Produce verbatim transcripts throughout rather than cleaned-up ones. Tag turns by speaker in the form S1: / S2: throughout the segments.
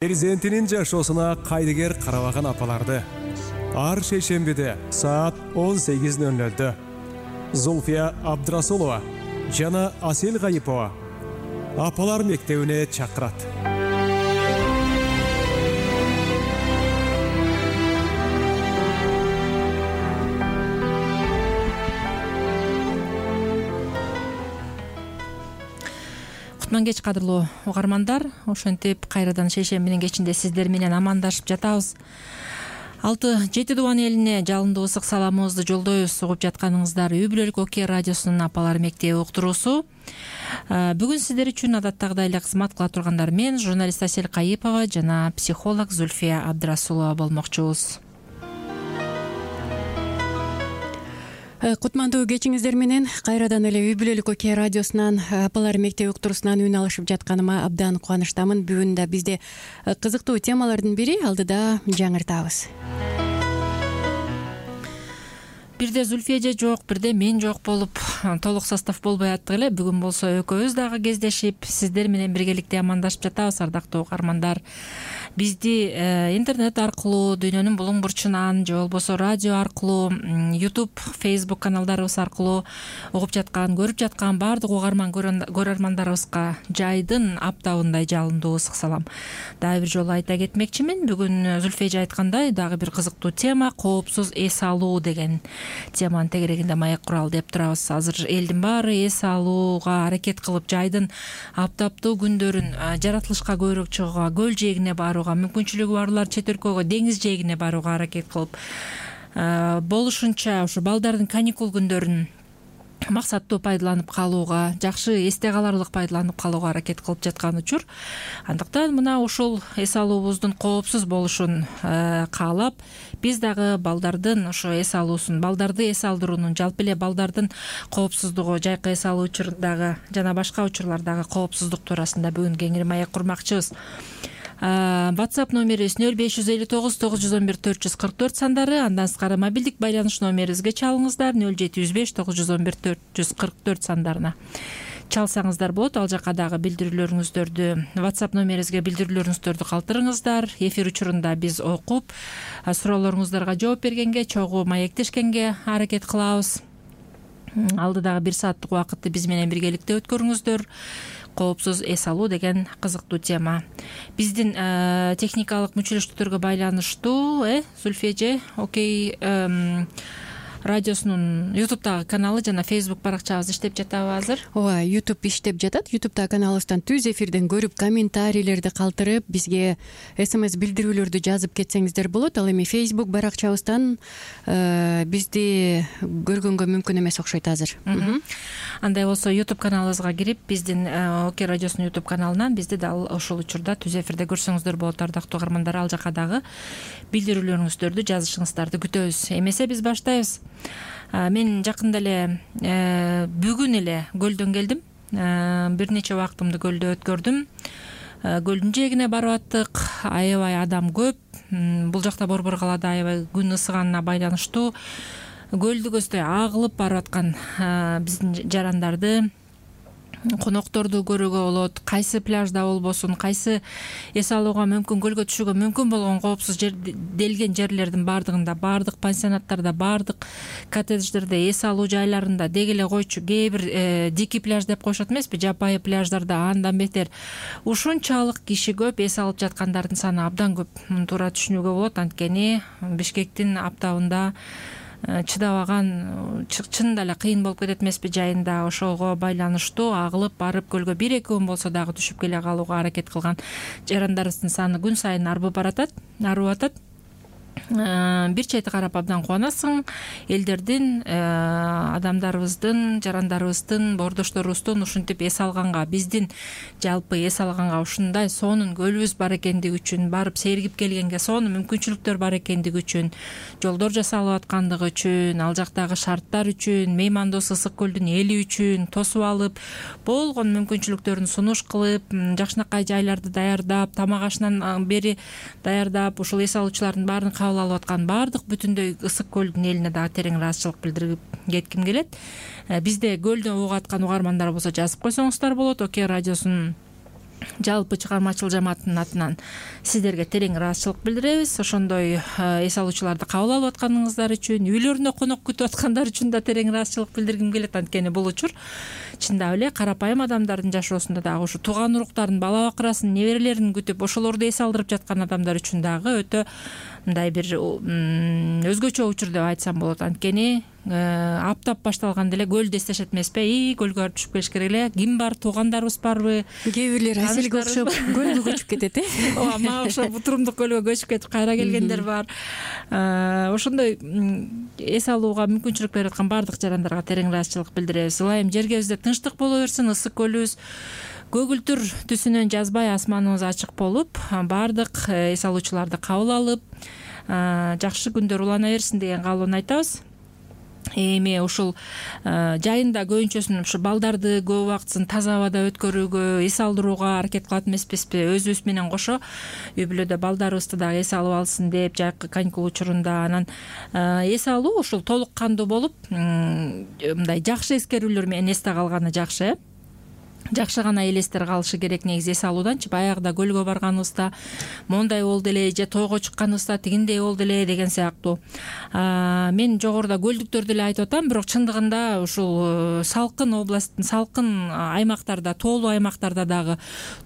S1: Перзентинин жашоосуна кайдыгер карабаган апаларды ар шейшембиде саат он сегиз ноль нольдө Зульфия Абдрасулова жана Асел Гайипова апалар мектебине чакырат.
S2: Кутман кеч кадырлуу угармандар, ошентип кайрадан шейшембинин кечинде сиздер менен амандашып жатабыз. алты жети Дубан элине жалындуу ысык саламыбызды жолдойбуз. Угуп жатканыңыздар Үй бүлөлүк Оке радиосунун апалар мектеби уктуруусу. Бүгүн сиздер үчүн адаттагыдай эле кызмат кыла тургандар мен, журналист Асел Гайипова жана психолог Зульфия Абдрасулова болмокчубуз.
S3: Кутмандуу кечиңиздер менен кайрадан эле Үй бүлөлүк Оке радиосунан апалар мектеби уктуруусунан үн алышып жатканыма абдан кубанычтамын. Бүгүн да бизде кызыктуу темалардын бири алдыда жаңыртабыз.
S2: Бирде Зульфия же жок, бирде мен жок болуп, толук состав болбой аттык эле. Бүгүн болсо экөөбүз дагы кездешип, сиздер менен биргеликте амандашып жатабыз, ардактуу угармандар. Бизди э, интернет аркылуу, дүйнөнүн булуң бурчунан же болбосо радио аркылуу, YouTube, Facebook каналдарыбыз аркылуу угуп жаткан, көрүп жаткан баардык угарман көрөрмандарыбызга жайдын аптабындай жалындуу ысык салам. Дагы бир жолу айта кетмекчимин, бүгүн Зульфия айткандай дагы бир кызыктуу тема — коопсуз эс алуу деген теманын тегерегинде маек куралы деп турабыз. Азыр элдин баары эс алууга аракет кылып, жайдын аптаптуу күндөрүн жаратылышка көйрөк чыгууга, көл жээгине барууга, мүмкүнчүлүгү барлар чет өлкөгө, деңиз жээгине барууга аракет кылып, болушунча ушу балдардын каникул күндөрүн максаттуу пайдаланып калууга, жакшы эсте каларлык пайдаланып калууга аракет кылып жаткан учур. Андыктан мына ушул эс алуубуздун коопсуз болушун каалап, биз дагы балдардын ошо эс алуусун, балдарды эс алдыруунун, жалпы эле балдардын коопсуздугу, жайкы эс алуу учурдагы жана башка учурлардагы коопсуздук туурасында бүгүн кеңири маек курмакчыбыз. WhatsApp номерибиз нөл беш жүз элүү тогуз тогуз жүз он бир төрт жүз кырк төрт сандары, андан сырткары мобилдик байланыш номерибизге чалыңыздар нөл жети жүз беш тогуз жүз он бир төрт жүз кырк төрт сандарына чалсаңыздар болот. Ал жака дагы билдирүүлөрүңүздөрдү, WhatsApp номерибизге билдирүүлөрүңүздөрдү калтырыңыздар. Эфир учурунда биз окуп, суроолоруңуздарга жооп бергенге, чогуу маектешкенге аракет кылабыз. Алдыдагы бир сааттык убакытты биз менен биргеликте өткөрүңүздөр. Коопсуз эс алуу деген кызыктуу тема. Биздин э, техникалык мүчөлөштүктөргө байланыштуу, э, Зульфия же Окей э, радиосунун ютубтагы каналы жана Facebook баракчабыз иштеп жатабы азыр?
S3: Ооба, YouTube иштеп жатат. ютубтагы каналыбыздан түз эфирден көрүп, комментарийлерди калтырып, бизге смс билдирүүлөрдү жазып кетсеңиздер болот. Ал эми Facebook баракчабыздан э, бизди көргөнгө мүмкүн эмес окшойт азыр.
S2: Андай болсо YouTube каналыбызга кирип, биздин Оке радиосунун YouTube каналынан бизди дал ошол учурда түз эфирде көрсөңүздөр болот, ардактуу угармандар. Ал жака дагы билдирүүлөрүңүздөрдү жазышыңыздарды күтөбүз. Эмесе биз баштайбыз. Мен жакында эле бүгүн эле көлдөн келдим. Бир нече убактымды көлдө өткөрдүм. Көлдүн жээгине барып аттык. Аябай адам көп. Бул жакта Борбор калаада аябай күн ысыганына байланыштуу көлдү көздөй агылып барып аткан биздин жарандарды, конокторду көрүүгө болот. Кайсы пляжда болбосун, кайсы эс алууга мүмкүн, көлгө түшүүгө мүмкүн болгон коопсуз жер делген жерлердин баардыгында, баардык пансионаттарда, баардык коттедждерде, эс алуу жайларында, деги эле койчу кээ бир э, дикий пляж деп коюшат эмеспи, жапайы пляждарда андан бетер ушунчалык киши көп, эс алып жаткандардын саны абдан көп. Туура түшүнүүгө болот, анткени Бишкектин аптабында чыдабаган, чынында эле кыйын болуп кетет эмеспи жайында. Ошого байланыштуу агылып барып көлгө бир эки күн болсо дагы түшүп келе калууга аракет кылган жарандарыбыздын саны күн сайын арбып баратат, арып атат. Бир чети карап абдан кубанасың. Элдердин, адамдарыбыздын, жарандарыбыздын, боордошторубуздун ушинтип эс алганга, биздин жалпы эс алганга ушундай сонун көлүбүз бар экендиги үчүн, барып сергип келгенге сонун мүмкүнчүлүктөр бар экендиги үчүн, жолдор жасалып аткандыгы үчүн, ал жактагы шарттар үчүн, меймандос ысык көлдүн эли үчүн тосуп алып, болгон мүмкүнчүлүктөрүн сунуш кылып, жакшынакай жайларды даярдап, тамак ашынан бери даярдап, ушул эс алуучулардын баарын кабыл алып аткан баардык бүтүндөй ысык көлдүн элине дагы терең ыраазычылык билдирип кетким келет. Бизде көлдөн угуп аткан угармандар болсо жазып койсоңуздар болот. Оке радиосунун жалпы чыгармачыл жамааттын атынан сиздерге терең ыраазычылык билдиребиз. Ошондой эс алуучуларды кабыл алып атканыңыздар үчүн, үйлөрүнө конок күтүп аткандар үчүн да терең ыраазычылык билдиргим келет. Анткени бул учур чындап эле карапайым адамдардын жашоосунда дагы ушу тууган уруктарын, бала бакырасын, неберелерин күтүп ошолорду эс алдырып жаткан адамдар үчүн дагы өтө мындай бир өзгөчө учур деп айтсам болот. Анткени аптап башталганда эле көлдү эстешет эмеспи? И көлгө барып түшүп келиш керек эле. Ким бар? Туугандарыбыз барбы?
S3: Кээ бирлер Аселге окшоп көлгө көчүп кетет э?
S2: Ооба, мага окшоп Бутурумдук көлгө көчүп кетип кайра келгендер бар. Ошондой эс алууга мүмкүнчүлүк берип аткан баардык жарандарга терең ыраазычылык билдиребиз. Ылайым жергебизде тынчтык боло берсин, ысык көлүбүз көгүлтүр түсүнөн жазбай асманыбыз ачык болуп, баардык эс алуучуларды кабыл алып, жакшы күндөр улана берсин деген каалоону айтабыз. Эми ушул жайында көбүнчөсүн ушу балдарды көп убактысын таза абада өткөрүүгө, эс алдырууга аракет кылат эмеспизби? Өзүбүз менен кошо үй бүлөдө балдарыбызды дагы эс алып алсын деп, жайкы каникул учурунда. Анан эс алуу ушул толук кандуу болуп, мындай жакшы эскерүүлөр менен эсте калганы жакшы. Жакшы гана элестер калышы керек негизи эс алууданчы. Баягыда көлгө барганыбызда моундай болду эле, же тойго чыкканыбызда тигиндей болду эле деген сыяктуу. Мен жогоруда көлдүктөрдү эле айтып атам, бирок чындыгында ушул салкын областтын, салкын аймактарда, тоолуу аймактарда дагы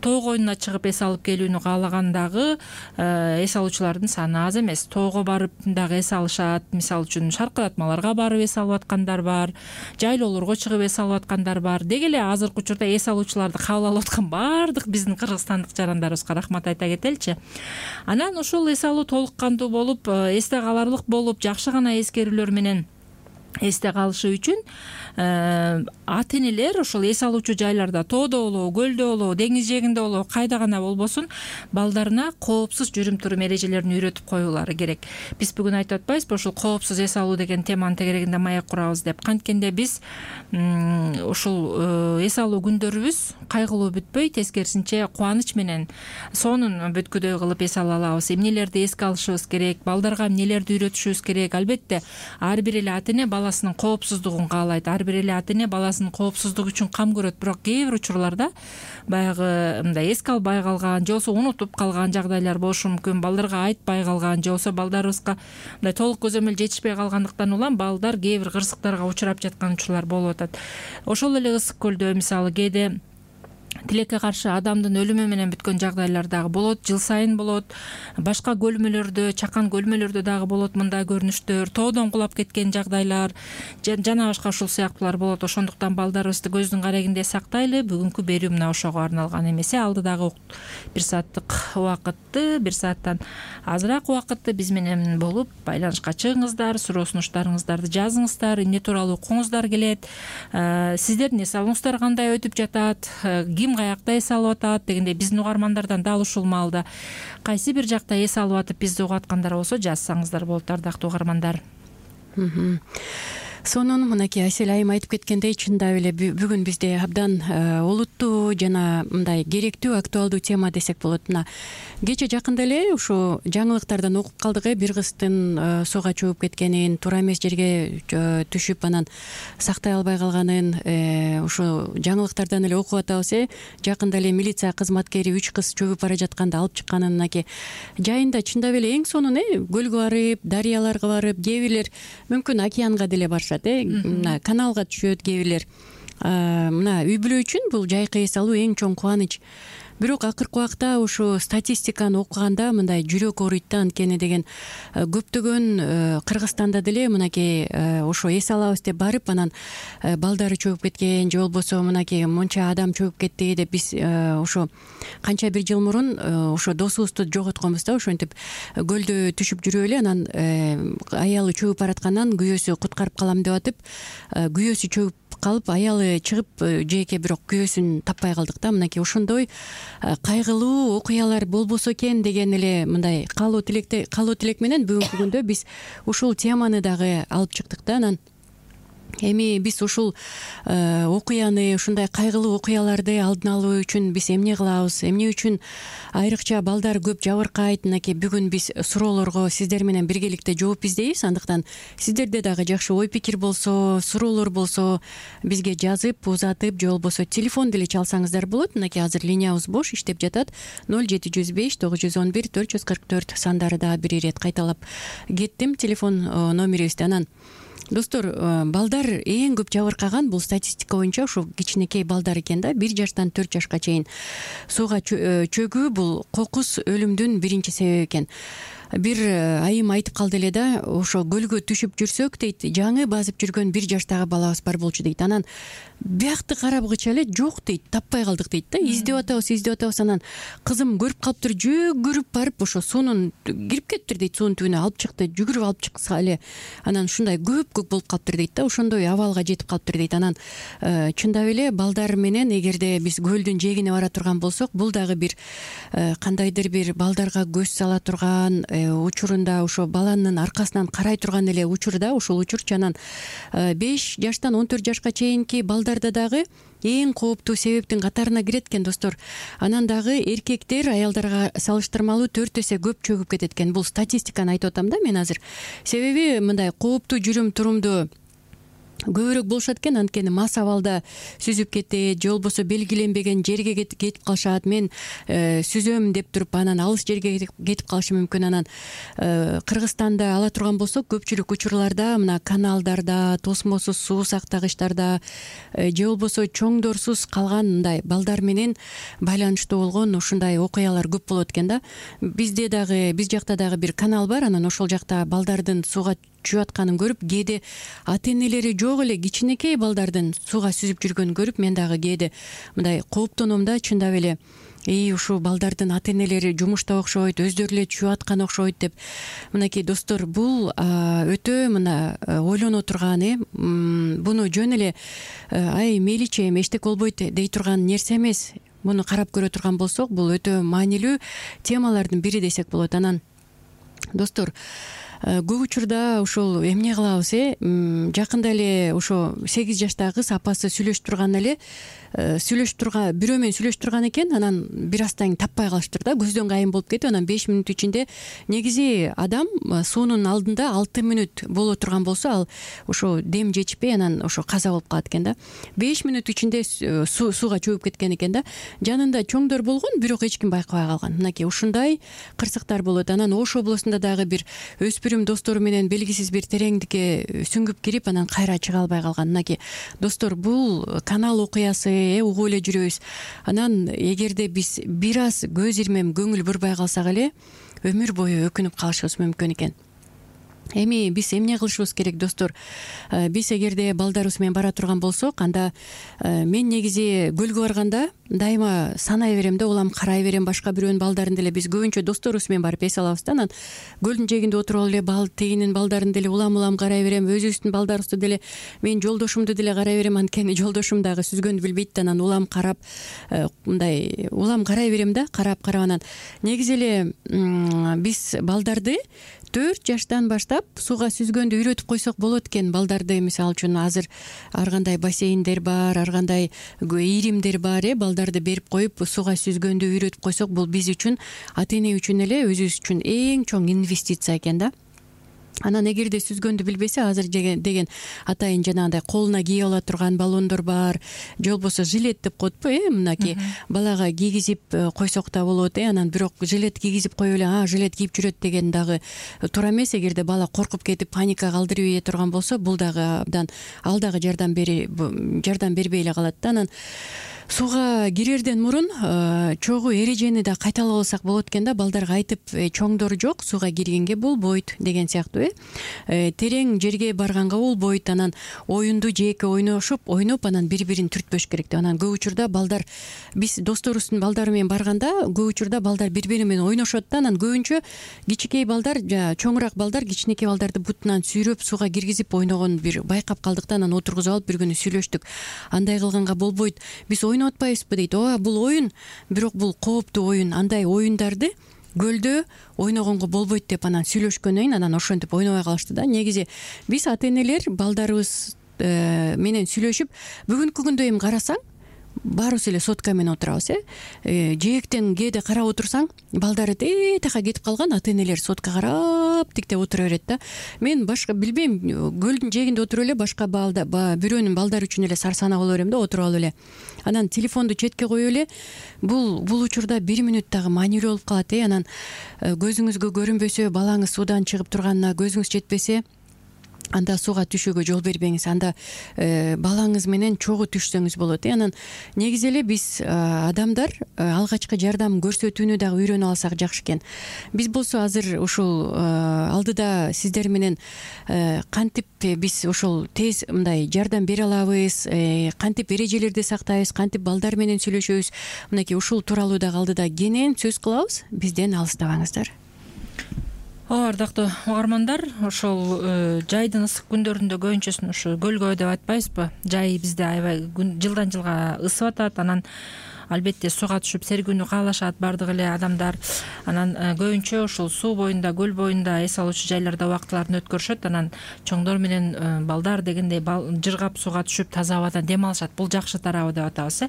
S2: тоо коюнуна чыгып эс алып келүүнү каалаган дагы эс алуучулардын саны аз эмес. Тоого барып дагы эс алышат. Мисалы үчүн шаркыратмаларга барып эс алып аткандар бар, жайлоолорго чыгып эс алып аткандар бар. Деги эле азыркы учурда эс алуучуларды кабыл алып аткан баардык биздин кыргызстандык жарандарыбызга рахмат айта кетеличи. Анан ушул эс алуу толук кандуу болуп, эсте каларлык болуп, жакшы гана эскерүүлөр менен эсте калышы үчүн ата энелер ошол эс алуучу жайларда, тоодо болобу, көлдө болобу, деңиз жээгинде болобу, кайда гана болбосун, балдарына коопсуз жүрүм турум эрежелерин үйрөтүп коюулары керек. Биз бүгүн айтып атпайбызбы ушул коопсуз эс алуу деген теманын тегерегинде маек курабыз деп. Канткенде биз ушул эс алуу күндөрүбүз кайгылуу бүтпөй, тескерисинче кубаныч менен сонун бүткүдөй кылып эс ала алабыз. Эмнелерди эске алышыбыз керек, балдарга эмнелерди үйрөтүшүбүз керек. Албетте ар бир эле ата эне баласынын коопсуздугун каалайт, ар бир эле ата эне баласынын коопсуздугу үчүн кам көрөт. Бирок кээ бир учурларда баягы мындай эске албай калган, же болбосо унутуп калган жагдайлар болушу мүмкүн. Балдарга айтпай калган, же болбосо балдарыбызга мындай толук көзөмөл жетишпей калгандыктан улам балдар кээ бир кырсыктарга учурап жаткан учурлар болуп атат. Ошол эле ысык көлдө мисалы кээде тилекке каршы адамдын өлүмү менен бүткөн жагдайлар дагы болот, жыл сайын болот. Башка көлмөлөрдө, чакан көлмөлөрдө дагы болот мындай көрүнүштөр, тоодон кулап кеткен жагдайлар жана башка ушул сыяктуулар болот. Ошондуктан балдарыбызды көздүн карегинде сактайлы. Бүгүнкү берүү мына ошого арналган эмесе, алдыдагы бир сааттык убакытты, бир сааттан азыраак убакытты биз менен болуп байланышка чыгыңыздар, суроо сунуштарыңыздарды жазыңыздар, эмне тууралуу укуңуздар келет, сиздердин эс алууңуздар кандай өтүп жатат, ким каякта эс алып атат дегендей биздин угармандардан дал ушул маалда кайсы бир жакта эс алып атып бизди угуп аткандар болсо жазсаңыздар болот, ардактуу угармандар.
S3: Сонун мынакей Асель айым айтып кеткендей, чындап эле бүгүн бизде абдан олуттуу жана мындай керектүү, актуалдуу тема десек болот. Мына кече жакында эле ушу жаңылыктардан окуп калдык э, бир кыздын суга чөгүп кеткенин, туура эмес жерге түшүп анан сактай албай калганын ушу жаңылыктардан эле окуп атабыз э. Жакында эле милиция кызматкери үч кыз чөгүп бара жатканда алып чыкканын мынакей жайында чындап эле эң сонун э, көлгө барып, дарыяларга барып, кээ бирлер мүмкүн океанга деле барышат. Мына каналга түшөт кээ бирлер. Мына үй бүлө үчүн бул жайкы эс алуу эң чоң кубаныч. Бирок акыркы убакта ушу статистиканы окуганда мындай жүрөк ооруйт да. Анткени деген көптөгөн Кыргызстанда деле мынакей ошо эс алабыз деп барып анан балдары чөгүп кеткен, же болбосо мынакей монча адам чөгүп кетти деп биз ошо канча бир жыл мурун ошо досубузду жоготконбуз да. Ошентип көлдө түшүп жүрүп эле анан аялы чөгүп бараткандан күйөөсү куткарып калам деп атып, күйөөсү чөгүп калып, аялы чыгып жеке бирок күйөөсүн таппай калдык да. Мынакей ошондой кайгылуу окуялар болбосо экен деген эле мындай каалоо тилекте каалоо тилек менен бүгүнкү күндө биз ушул теманы дагы алып чыктык да. Анан Эми биз ушул окуяны, ушундай кайгылуу окуяларды алдын алуу үчүн биз эмне кылабыз, эмне үчүн айрыкча балдар көп жабыркайт? Мынакей бүгүн биз суроолорго сиздер менен биргеликте жооп издейбиз. Андыктан сиздерде дагы жакшы ой пикир болсо, суроолор болсо бизге жазып, узатып, же болбосо телефон деле чалсаңыздар болот. Мынакей азыр линиябыз бош иштеп жатат. ноль жети жүз беш тогуз жүз он бир төрт жүз кырк төрт сандары да бир ирет кайталап кеттим телефон номерибизди. Анан достор, балдар эң көп жабыркаган бул статистика боюнча ушу кичинекей балдар экен да, бир жаштан төрт жашка чейин. Сууга чөгүү бул кокус өлүмдүн биринчи себеби экен. Бир айым айтып калды эле да, ошо көлгө түшүп жүрсөк дейт, жаңы базып жүргөн бир жаштагы балабыз бар болчу дейт. Анан биякты карабгыча эле жок дейт, таппай калдык дейт да. Издеп атабыз, издеп атабыз. Анан кызым көрүп калыптыр, жүгүрүп барып ошо суунун кирип кетиптир дейт, суунун түбүнө алып чыкты, жүгүрүп алып чыкса эле анан ушундай көп көп болуп калыптыр дейт да. Ошондой абалга жетип калыптыр дейт. Анан чындап эле балдар менен эгерде биз көлдүн жээгине бара турган болсок, бул дагы бир кандайдыр бир балдарга көз сала турган учурунда, ошо баланын аркасынан карай турган эле учурда, ушул учурчу. Анан беш жаштан он төрт жашка чейинки балдарда дагы эң кооптуу себептин катарына кирет экен достор. Анан дагы эркектер аялдарга салыштырмалуу төрт эсе көп чөгүп кетет экен. Бул статистиканы айтып атам да мен азыр. Себеби мындай кооптуу жүрүм турумду көбүрөөк болушат экен. Анткени мас абалда сүзүп кетет, же болбосо белгиленбеген жерге кетип калышат. Мен сүзөм деп туруп анан алыс жерге кетип калышы мүмкүн. Анан Кыргызстанда ала турган болсок, көпчүлүк учурларда мына каналдарда, тосмосуз суу сактагычтарда, же болбосо чоңдорсуз калган мындай балдар менен байланыштуу болгон ушундай окуялар көп болот экен да. Бизде дагы, биз жакта дагы бир канал бар. Анан ошол жакта балдардын сууга чүйүп атканын көрүп, кээде ата энелери жок эле кичинекей балдардын сууга сүзүп жүргөнүн көрүп, мен дагы кээде мындай кооптоном да, чындап эле и ушул балдардын ата энелери жумушта окшойт, өздөрү эле чүйүп аткан окшойт деп. Мынакей достор, бул өтө мына ойлоно турган, э буну жөн эле ай мейличи эми эчтеке болбойт дей турган нерсе эмес. Муну карап көрө турган болсок, бул өтө маанилүү темалардын бири десек болот. Анан достор, көп учурда ушул эмне кылабыз, э жакында эле ошо сегиз жаштагы кыз апасы сүйлөшүп турган эле сүйлөшүп турган бирөө менен сүйлөшүп турган экен. Анан бир аздан кийин таппай калыштыр да, көздөн кайын болуп кетип. Анан беш мүнөт ичинде, негизи адам суунун алдында алты мүнөт боло турган болсо, ал ошо дем жетишпей анан ошо каза болуп калат экен да. беш мүнөт ичинде сууга чөгүп кеткен экен да. Жанында чоңдор болгон, бирок эч ким байкабай калган. Мынакей ушундай кырсыктар болот. Анан Ош облусунда дагы бир өспүрүм достору менен белгисиз бир тереңдикке сүңгүп кирип, анан кайра чыга албай калган. Мынакей достор, бул канал окуясы, угуп эле жүрөбүз. Анан эгерде биз бир аз көз ирмем көңүл бурбай калсак эле өмүр бою өкүнүп калышыбыз мүмкүн экен. Эми биз эмне кылышыбыз керек достор? Биз эгерде балдарыбыз менен бара турган болсок, анда мен негизи көлгө барганда дайыма санай берем да, улам карай берем башка бирөөнүн балдарын деле. Биз көбүнчө досторубуз менен барып эс алабыз да. Анан көлдүн жээгинде отуруп алып эле бал тегинин балдарын деле улам улам карай берем, өзүбүздүн балдарыбызды деле, мен жолдошумду деле карай берем. Анткени жолдошум дагы сүзгөндү билбейт да. Анан улам карап, мындай улам карай берем да, карап карап. Анан негизи эле биз балдарды төрт жаштан баштап сууга сүзгөндү үйрөтүп койсок болот экен. Балдарды мисалы үчүн азыр ар кандай бассейндер бар, ар кандай ийримдер бар, э балдарды берип коюп сууга сүзгөндү үйрөтүп койсок, бул биз үчүн, ата эне үчүн эле, өзүбүз үчүн эң чоң инвестиция экен да. Анан эгерде сүзгөндү билбесе, азыр деген атайын жанагындай колуна кийип ала турган баллондор бар, же болбосо жилет деп коетпу, э мынакей балага кийгизип койсок да болот, э анан бирок жилет кийгизип коюп эле а жилет кийип жүрөт деген дагы туура эмес. Эгерде бала коркуп кетип паника калтырып ийе турган болсо, бул дагы абдан, ал дагы жардам бери жардам бербей эле калат да. Анан сууга кирерден мурун чогуу эрежени да кайталап алсак болот экен да. Балдарга айтып, чоңдор жок, сууга киргенге болбойт деген сыяктуу, э терең жерге барганга болбойт. Анан оюнду жеке ойношуп, ойноп, анан бири-бирин түртпөш керек деп. Анан көп учурда балдар, биз досторубуздун балдары менен барганда, көп учурда балдар бири-бири менен ойношот да. Анан көбүнчө кичинекей балдар, чоңураак балдар кичинекей балдарды бутунан сүйрөп сууга киргизип ойногонун бир байкап калдык да. Анан отургузуп алып бир күнү сүйлөштүк. Андай кылганга болбойт, биз ойноп атпайбызбы дейт. Ооба, бул оюн, бирок бул кооптуу оюн. Андай оюндарды көлдө ойногонго болбойт деп анан сүйлөшкөндөн кийин анан ошентип ойнобой калышты да. Негизи биз ата энелер балдарыбыз менен сүйлөшүп бүгүнкү күндө эми карасаң баарыбыз эле сотка менен отурабыз э жээктен кээде карап отурсаң балдары тетиякка кетип калган ата энелер сотка карап тиктеп отура берет да. Мен башка билбейм, көлдүн жээгинде отуруп эле башка балда бирөөнүн балдары үчүн эле сарсанаа боло берем да, отуруп алып эле анан телефонду четке коюп эле бул бул учурда бир мүнөт дагы маанилүү болуп калат э анан көзүңүзгө көрүнбөсө, балаңыз суудан чыгып турганына көзүңүз жетпесе анда сууга түшүүгө жол бербеңиз, анда э, балаңыз менен чогуу түшсөңүз болот э анан негизи эле биз э, адамдар э, алгачкы жардам көрсөтүүнү дагы үйрөнүп алсак жакшы экен. Биз болсо азыр ушул э, алдыда сиздер менен э, кантип биз ошол тез мындай жардам бере алабыз, э, кантип эрежелерди сактайбыз, кантип балдар менен сүйлөшөбүз, мынакей ушул тууралуу дагы алдыда кенен сөз кылабыз. Бизден алыстабаңыздар.
S2: Ооба, ардактуу угармандар, ошол жайдын ысык күндөрүндө көбүнчөсүн ушу көлгөө деп айтпайбызбы? Жай бизде аябай жылдан жылга ысып атат, анан албетте сууга түшүп сергүүнү каалашат баардык эле адамдар. Анан көбүнчө ушул суу боюнда, көл боюнда эс алуучу жайларда убактыларын өткөрүшөт. Анан чоңдор менен балдар дегендей жыргап сууга түшүп таза абадан дем алышат. Бул жакшы тарабы деп атабыз э.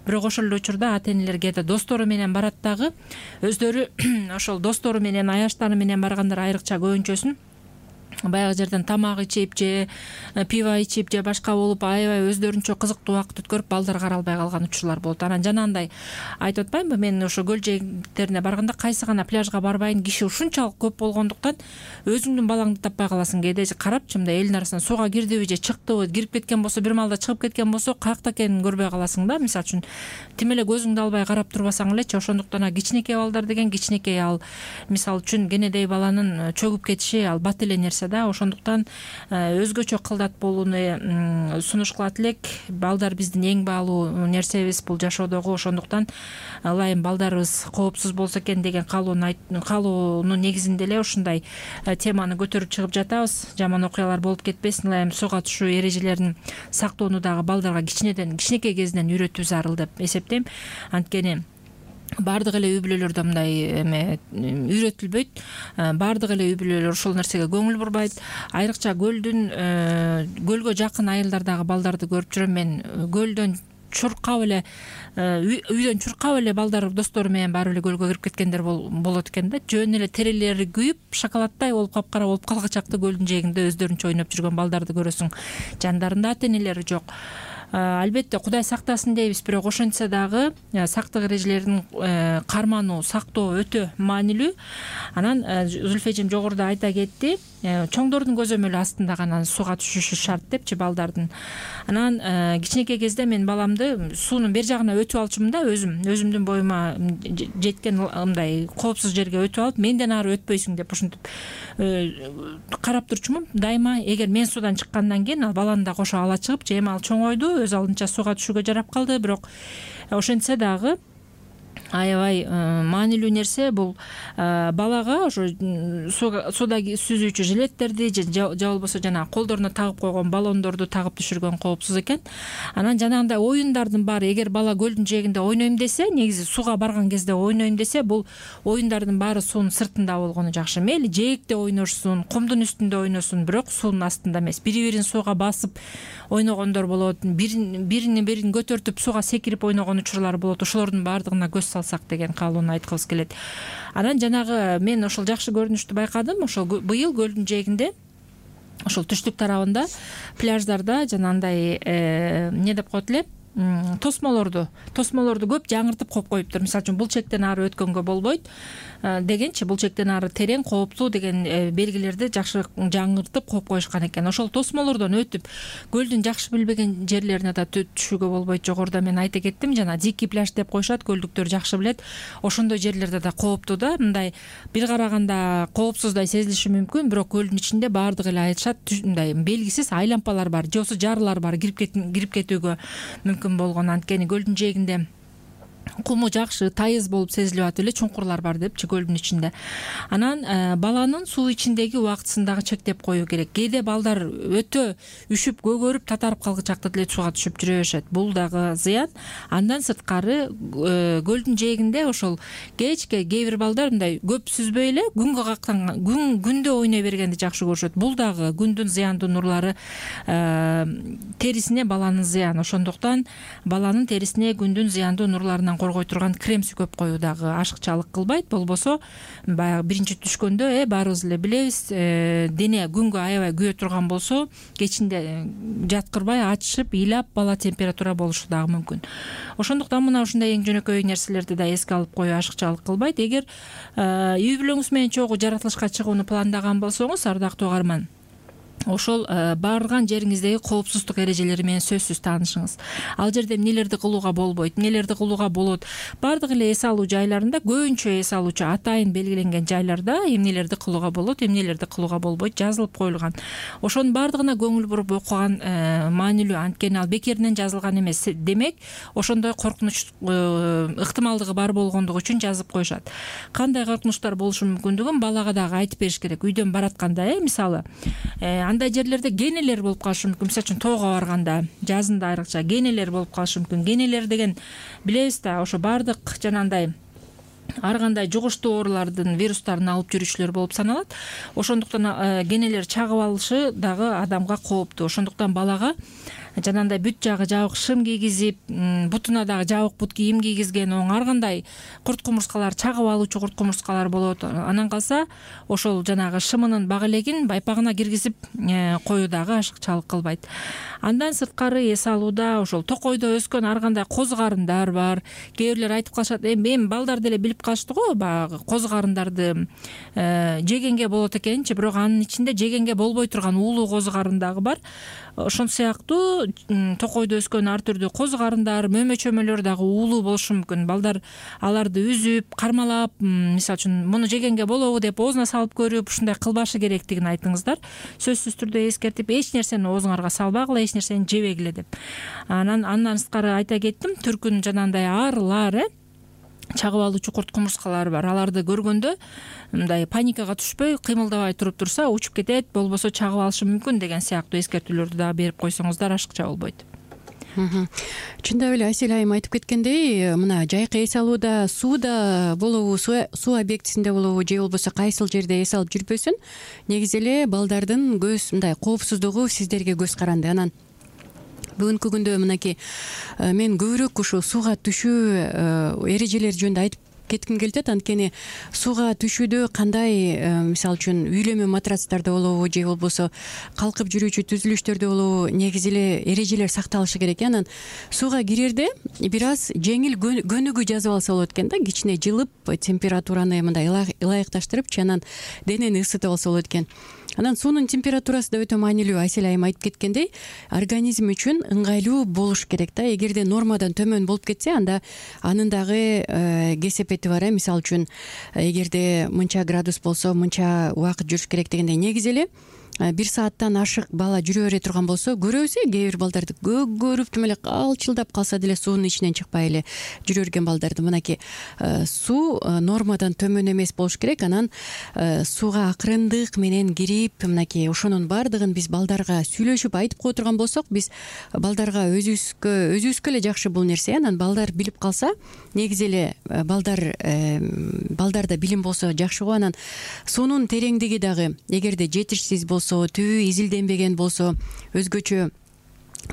S2: Бирок ошол эле учурда ата энелер кээде достору менен барат дагы, өздөрү ошол достору менен, аяштары менен баргандар айрыкча көбүнчөсүн баягы жерден тамак ичип же пиво ичип же башка болуп аябай өздөрүнчө кызыктуу убакыт өткөрүп балдар каралбай калган учурлар болот. Анан жанагындай айтып атпаймынбы, мен ошо көл жээктерине барганда кайсы гана пляжга барбайын, киши ушунчалык көп болгондуктан өзүңдүн балаңды таппай каласың. Кээде карапчы мындай элдин арасынан сууга кирдиби же чыктыбы, кирип кеткен болсо бир маалда чыгып кеткен болсо каякта экенин көрбөй каласың да. Мисалы үчүн тим эле көзүңдү албай карап турбасаң элечи, ошондуктан кичинекей балдар деген кичинекей, ал мисалы үчүн кенедей баланын чөгүп кетиши ал бат эле нерсе да. Ошондуктан өзгөчө кылдат болууну сунуш кылат элек. Балдар биздин эң баалуу нерсебиз бул жашоодогу. Ошондуктан ылайым балдарыбыз коопсуз болсо экен деген каалоонун негизинде эле ушундай теманы көтөрүп чыгып жатабыз. Жаман окуялар болуп кетпесин, ылайым сууга түшүү эрежелерин сактоону дагы балдарга кичинеден, кичинекей кезинен үйрөтүү зарыл деп эсептейм. Анткени баардык эле үй бүлөлөрдө мындай эме үйрөтүлбөйт. Баардык эле үй бүлөлөр ошол нерсеге көңүл бурбайт. Айрыкча көлдүн көлгө жакын айылдардагы балдарды көрүп жүрөм мен. Көлдөн чуркап эле, үйдөн чуркап эле балдар достору менен барып эле көлгө кирип кеткендер болот экен да. Жөн эле терелери күйүп, шоколадтай болуп капкара болуп калгычакты көлдүн жээгинде өздөрүнчө ойноп жүргөн балдарды көрөсүң. Жандарында ата энелери жок. Албетте Кудай сактасын дейбиз, бирок ошентсе дагы сактык эрежелерин кармануу, сактоо өтө маанилүү. Анан Зүлфи эжем жогоруда айта кетти, чоңдордун көзөмөлү астында гана сууга түшүшү шарт депчи балдардын. Анан кичинекей кезде мен баламды суунун бер жагына өтүп алчумун да, өзүм өзүмдүн боюма жеткен мындай коопсуз жерге өтүп алып, менден ары өтпөйсүң деп ушинтип карап турчумун. Дайыма эгер мен суудан чыккандан кийин ал баланы да кошо ала чыгып, же эми ал чоңойду, өз алдынча сууга түшүүгө жарап калды. Бирок ошентсе дагы аябай маанилүү нерсе бул балага ошо сууга сүзүүчү жилеттерди же же болбосо жана колдоруна тагып койгон баллондорду тагып түшүргөн коопсуз экен. Анан жанагындай оюндардын баары, эгер бала көлдүн жээгинде ойнойм десе, негизи сууга барган кезде ойнойм десе, бул оюндардын баары суунун сыртында болгону жакшы. Мейли жээкте ойношсун, кумдун үстүндө ойносун, бирок суунун астында эмес. Бири-бирин сууга басып ойногондор болот, бирини бирин көтөртүп сууга секирип ойногон учурлар болот. Ошолордун баардыгына көз салсак деген каалоону айткыбыз келет. Анан жанагы мен ошол жакшы көрүнүштү байкадым. Ошол быйыл көлдүн жээгинде, ошол түштүк тарабында, пляждарда жанагындай эмне деп коет эле, тосмолорду тосмолорду көп жаңыртып коюп коюптур. Мисалы үчүн бул чектен ары өткөнгө болбойт дегенчи, бул чектен ары терең, кооптуу деген белгилерди жакшы жаңыртып коюп коюшкан экен. Ошол тосмолордон өтүп көлдүн жакшы билбеген жерлерине да түшүүгө болбойт. Жогоруда мен айта кеттим, жана дикий пляж деп коюшат, көлдүктөр жакшы билет. Ошондой жерлерде да кооптуу да, мындай бир караганда коопсуздай сезилиши мүмкүн, бирок көлдүн ичинде баардык эле айтышат, мындай белгисиз айлампалар бар, же болбосо жарылар бар, кирип кетүүгө мүмкүн болгон. Анткени көлдүн жээгинде куму жакшы тайыз болуп сезилип атып эле чуңкурлар бар депчи көлдүн ичинде. Анан баланын суу ичиндеги убактысын дагы чектеп коюу керек. Кээде балдар өтө үшүп көгөрүп татарып калгычакта деле сууга түшүп жүрө беришет. Бул дагы зыян. Андан сырткары көлдүн жээгинде ошол кечке кээ бир балдар мындай көп сүзбөй эле күнгө кактанган күн күндө ойной бергенди жакшы көрүшөт. Бул дагы күндүн зыяндуу нурлары терисине баланын зыяны. Ошондуктан баланын терисине күндүн зыяндуу нурларынан коргой турган крем сүйкөп коюу дагы ашыкчалык кылбайт. Болбосо баягы биринчи түшкөндө э баарыбыз эле билебиз, дене күнгө аябай күйө турган болсо кечинде жаткырбай ачышып, ыйлап бала температура болушу дагы мүмкүн. Ошондуктан мына ушундай эң жөнөкөй нерселерди да эске алып коюу ашыкчалык кылбайт. Эгер үй бүлөңүз менен чогуу жаратылышка чыгууну пландаган болсоңуз, ардактуу угарман, ошол барган жериңиздеги коопсуздук эрежелери менен сөзсүз таанышыңыз. Ал жерде эмнелерди кылууга болбойт, эмнелерди кылууга болот. Бардык эле эс алуу жайларында, көбүнчө эс алуучу атайын белгиленген жайларда эмнелерди кылууга болот, эмнелерди кылууга болбойт жазылып коюлган. Ошонун бардыгына көңүл буруп окуган маанилүү, анткени ал бекеринен жазылган эмес. Демек, ошондой коркунуч ыктымалдыгы бар болгондугу үчүн жазып коюшат. Кандай коркунучтар болушу мүмкүндүгүн балага дагы айтып бериш керек. Үйдөн баратканда, э, мисалы, андай жерлерде генелер болуп калышы мүмкүн. Мисалы үчүн тоого барганда, жазында айрыкча генелер болуп калышы мүмкүн. Генелер деген билебиз да, ошо бардык жанагындай ар кандай жугуштуу оорулардын вирустарын алып жүрүүчүлөр болуп саналат. Ошондуктан генелер чагып алышы дагы адамга кооптуу. Ошондуктан балага жанагындай бүт жагы жабык шым кийгизип, бутуна дагы жабык бут кийим кийгизген, оң ар кандай курт кумурскалар, чагып алуучу курт кумурскалар болот. Анан калса ошол жанагы шымынын бак элегин байпагына киргизип коюу дагы ашыкчалык кылбайт. Андан сырткары эс алууда ошол токойдо өскөн ар кандай коз карындар бар. Кээ бирлер айтып калышат, эми балдар деле билип калышты го, баягы коз карындарды жегенге болот экенчи, бирок анын ичинде жегенге болбой турган уулуу коз карын дагы бар. Ошон сыяктуу токойдо өскөн ар түрдүү коз карындар, мөмө чөмөлөр дагы уулуу болушу мүмкүн. Балдар аларды үзүп, кармалап, мисалы үчүн муну жегенге болобу деп оозуна салып көрүп, ушундай кылбашы керектигин айтыңыздар. Сөзсүз түрдө эскертип, эч нерсени оозуңарга салбагыла, эч нерсени жебегиле деп. Анан андан сырткары айта кеттим, түркүн жанагындай арылар, э чагып алуучу курт кумурскалар бар. Аларды көргөндө мындай паникага түшпөй, кыймылдабай туруп турса, учуп кетет, болбосо чагып алышы мүмкүн деген сыяктуу эскертүүлөрдү дагы берип койсоңуздар ашыкча болбойт.
S3: Чындап эле Асель айым айтып кеткендей, мына жайкы эс алууда сууда болобу, суу объектисинде болобу, же болбосо кайсыл жерде эс алып жүрбөсүн, негизи эле балдардын көз мындай коопсуздугу сиздерге көз каранды. Анан бүгүнкү күндө мынакей мен көбүрөөк ушул сууга түшүү эрежелери жөнүндө айтып кетким келип атат. Анткени сууга түшүүдө кандай, мисалы үчүн үйлөмө матрацтарда болобу, же болбосо калкып жүрүүчү түзүлүштөрдө болобу, негизи эле эрежелер сакталышы керек. Анан сууга кирерде бир аз жеңил көнүгүү жазып алса болот экен да, кичине жылып, температураны мындай ылайыкташтырыпчы, анан денени ысытып алса болот экен. Анан суунун температурасы да өтө маанилүү. Асель айым айтып кеткендей, организм үчүн ыңгайлуу болуш керек да. Эгерде нормадан төмөн болуп кетсе, анда анын дагы кесепети бар. Мисалы үчүн, эгерде мынча градус болсо, мынча убакыт жүрүш керек дегендей, негизи эле бир сааттан ашык бала жүрө бере турган болсо, көрөбүз, кээ бир балдарды көгөрүп тим эле калчылдап калса деле суунун ичинен чыкпай эле жүрө берген балдарды. Мынакей суу нормадан төмөн эмес болуш керек. Анан сууга акырындык менен кирип, мынакей ошонун баардыгын биз балдарга сүйлөшүп айтып кое турган болсок, биз балдарга өзүбүзгө өзүбүзгө эле жакшы бул нерсе. Анан балдар билип калса, негизи эле балдар балдарда билим болсо жакшы го. Анан суунун тереңдиги дагы эгерде жетишсиз болсо, түбү изилденбеген болсо, өзгөчө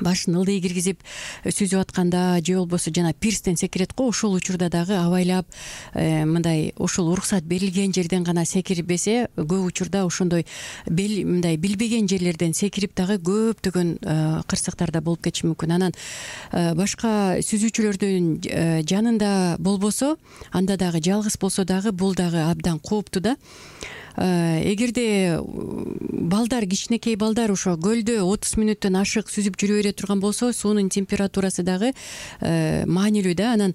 S3: башын ылдый киргизип сүзүп атканда, же болбосо жана пирстен секирет го, ошол учурда дагы абайлап мындай ушул уруксат берилген жерден гана секирбесе, көп учурда ошондой мындай билбеген жерлерден секирип дагы көптөгөн кырсыктар да болуп кетиши мүмкүн. Анан башка сүзүүчүлөрдүн жанында болбосо, анда дагы жалгыз болсо дагы бул дагы абдан кооптуу да. Эгерде балдар, кичинекей балдар ошо көлдө отуз мүнөттөн ашык сүзүп жүрө бере турган болсо, суунун температурасы дагы маанилүү да. Анан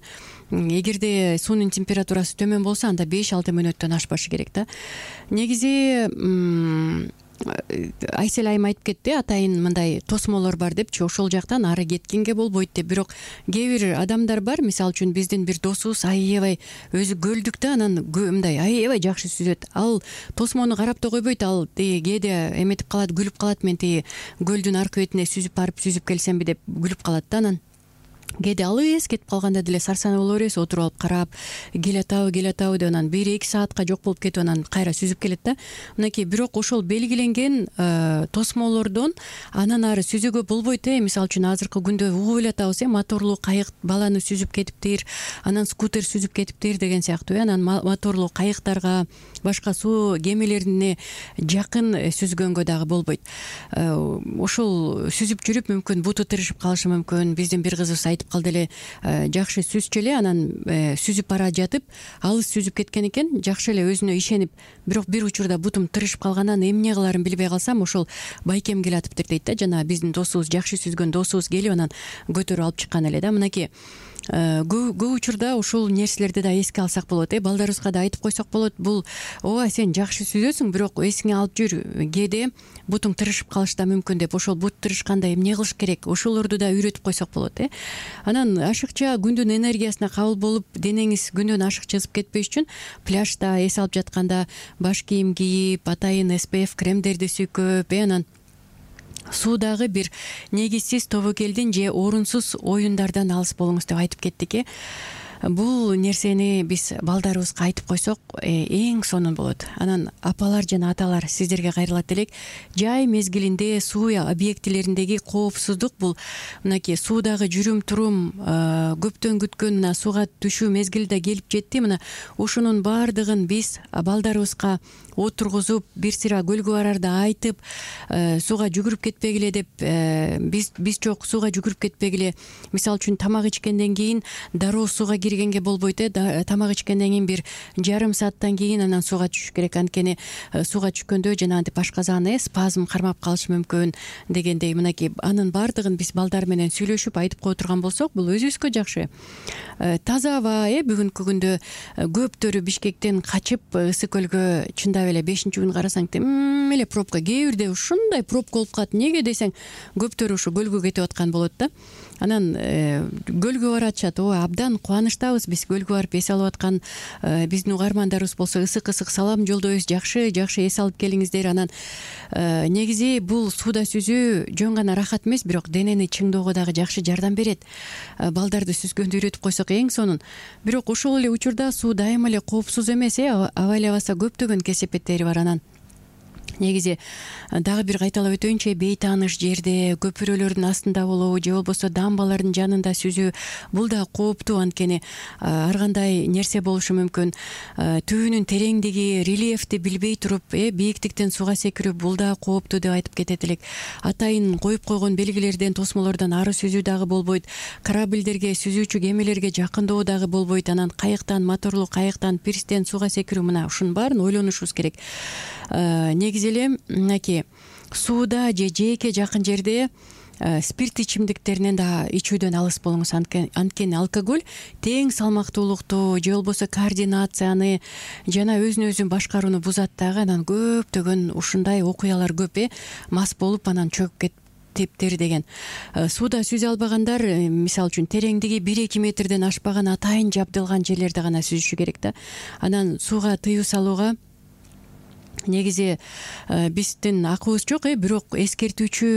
S3: эгерде суунун температурасы төмөн болсо, анда беш алты мүнөттөн ашпашы керек да. Негизи Айсел айым айтып кетти, атайын мындай тосмолор бар депчи, ошол жактан ары кеткенге болбойт деп. Бирок кээ бир адамдар бар, мисалы үчүн биздин бир досубуз аябай өзү көлдүктө, анан мындай аябай жакшы сүзөт. Ал тосмону карап да койбойт, ал кээде эметип калат, күлүп калат, мен тиги көлдүн аркы бетине сүзүп барып сүзүп келсемби деп күлүп калат да. Анан кээде алыс кетип калганда деле сарсанаа боло беребиз, отуруп алып карап, келатабы келатабы деп, анан бир эки саатка жок болуп кетип анан кайра сүзүп келет да. Мынакей, бирок ошол белгиленген тосмолордон анан ары сүзүүгө болбойт э. Мисалы үчүн азыркы күндө угуп эле атабыз э, моторлуу кайык баланы сүзүп кетиптир, анан скутер сүзүп кетиптир деген сыяктуу э. Анан моторлуу кайыктарга, башка суу кемелерине жакын сүзгөнгө дагы болбойт. Ошол сүзүп жүрүп мүмкүн буту тырышып калышы мүмкүн. Биздин бир кызыбыз айтып калды эле, жакшы сүзчү эле, анан сүзүп бара жатып алыс сүзүп кеткен экен, жакшы эле өзүнө ишенип, бирок бир учурда бутум тырышып калгандан эмне кыларын билбей калсам, ошол байкем келатыптыр дейт да. Жана биздин досубуз, жакшы сүзгөн досубуз келип анан көтөрүп алып чыккан эле да. Мынакей, көп учурда ушул нерселерди да эске алсак болот э. Балдарыбызга да айтып койсок болот, бул ооба сен жакшы сүзөсүң, бирок эсиңе алып жүр, кээде бутуң тырышып калышы да мүмкүн деп. Ошол бут тырышканда эмне кылыш керек, ошолорду да үйрөтүп койсок болот э. Анан ашыкча күндүн энергиясына кабыл болуп, денеңиз күндөн ашыкча ысып кетпеш үчүн пляжда эс алып жатканда баш кийим кийип, атайын эс пэ эф кремдерди сүйкөп э, анан суудагы бир негизсиз тобокелдин же орунсуз оюндардан алыс болуңуз деп айтып кеттик э. Бул нерсени биз балдарыбызга айтып койсок эң сонун болот. Анан апалар жана аталар, сиздерге кайрылат элек. Жай мезгилинде суу объектилериндеги коопсуздук, бул мынакей суудагы жүрүм турум, көптөн күткөн мына сууга түшүү мезгили да келип жетти. Мына ушунун баардыгын биз балдарыбызга отургузуп, бир сыйра көлгө барарда айтып, сууга жүгүрүп кетпегиле деп, биз биз жок сууга жүгүрүп кетпегиле. Мисалы үчүн тамак ичкенден кийин дароо сууга киргенге болбойт э. Тамак ичкенден кийин бир жарым сааттан кийин анан сууга түшүш керек. Анткени сууга түшкөндө жанагынтип ашказаны э спазм кармап калышы мүмкүн дегендей. Мынакей, анын баардыгын биз балдар менен сүйлөшүп айтып кое турган болсок, бул өзүбүзгө жакшы. Таза аба э. Бүгүнкү күндө көптөрү Бишкектен качып Ысык көлгө чындап эле бешинчи күн карасаң тим эле пробка, кээ бирде ушундай пробка болуп калат. Неге десең, көптөрү ушу көлгө кетип аткан болот да. Анан көлгө баратышат. Ооба, абдан кубанычтабыз биз көлгө барып эс алып аткан биздин угармандарыбыз болсо ысык-ысык салам жолдойбуз. Жакшы жакшы эс алып келиңиздер. Анан негизи бул сууда сүзүү жөн гана рахат эмес, бирок денени чыңдоого дагы жакшы жардам берет. Балдарды сүзгөндү үйрөтүп койсок эң сонун. Бирок ошол эле учурда суу дайыма эле коопсуз эмес э. Абайлабаса көптөгөн кесепеттери бар. Анан негизи дагы бир кайталап өтөйүнчү, бейтааныш жерде, көпүрөлөрдүн астында болобу же болбосо дамбалардын жанында сүзүү, бул да кооптуу. Анткени ар кандай нерсе болушу мүмкүн. Түбүнүн тереңдиги, рельефти билбей туруп э бийиктиктен сууга секирүү, бул да кооптуу деп айтып кетет элек. Атайын коюп койгон белгилерден, тосмолордон ары сүзүү дагы болбойт. Корабльдерге, сүзүүчү кемелерге жакындоо дагы болбойт. Анан кайыктан, моторлуу кайыктан, пирстен сууга секирүү, мына ушунун баарын ойлонушубуз керек. Негизи эле мынакей сууда же жээкке жакын жерде спирт ичимдиктеринен да ичүүдөн алыс болуңуз. Анткени алкоголь тең салмактуулукту же болбосо координацияны жана өзүн өзү башкарууну бузат дагы. Анан көптөгөн ушундай окуялар көп э. Мас болуп анан чөгүп кетип типтер деген. Сууда сүзө албагандар, мисалы үчүн тереңдиги бир эки метрден ашпаган атайын жабдылган жерлерде гана сүзүшү керек да. Анан сууга тыюу салууга негизи биздин акыбыз жок э. Бирок эскертүүчү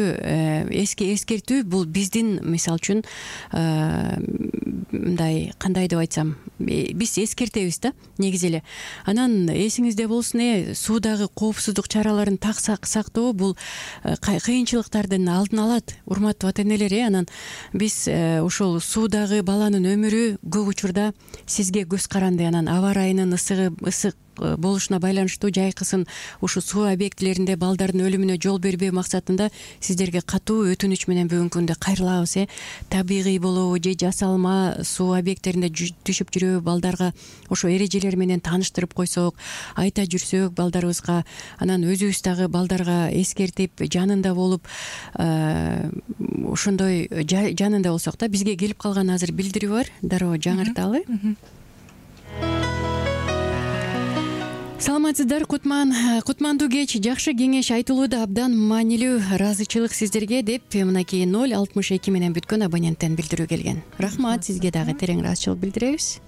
S3: эски эскертүү бул биздин, мисалы үчүн мындай кандай деп айтсам, биз эскертебиз да негизи эле. Анан эсиңизде болсун э, суудагы коопсуздук чараларын так сактоо бул кыйынчылыктардын алдын алат, урматтуу ата энелер э. Анан биз ошол суудагы баланын өмүрү көп учурда сизге көз каранды. Анан аба ырайынын ысыгы ысык болушуна байланыштуу жайкысын ушу суу объектилеринде балдардын өлүмүнө жол бербөө максатында сиздерге катуу өтүнүч менен бүгүнкү күндө кайрылабыз э. Табигый болобу же жасалма суу объектилеринде түшүп жүрөбү, балдарга ошо эрежелер менен тааныштырып койсок, айта жүрсөк балдарыбызга, анан өзүбүз дагы балдарга эскертип жанында болуп ошондой жанында болсок да. Бизге келип калган азыр билдирүү бар, дароо жаңырталы. саламатсыздар, кутман кутмандуу кеч. Жакшы кеңеш айтылууда абдан маанилүү. Ыраазычылык сиздерге деп мынакей ноль алтымыш эки менен бүткөн абоненттен билдирүү келген. Рахмат, сизге дагы терең ыраазычылык билдиребиз.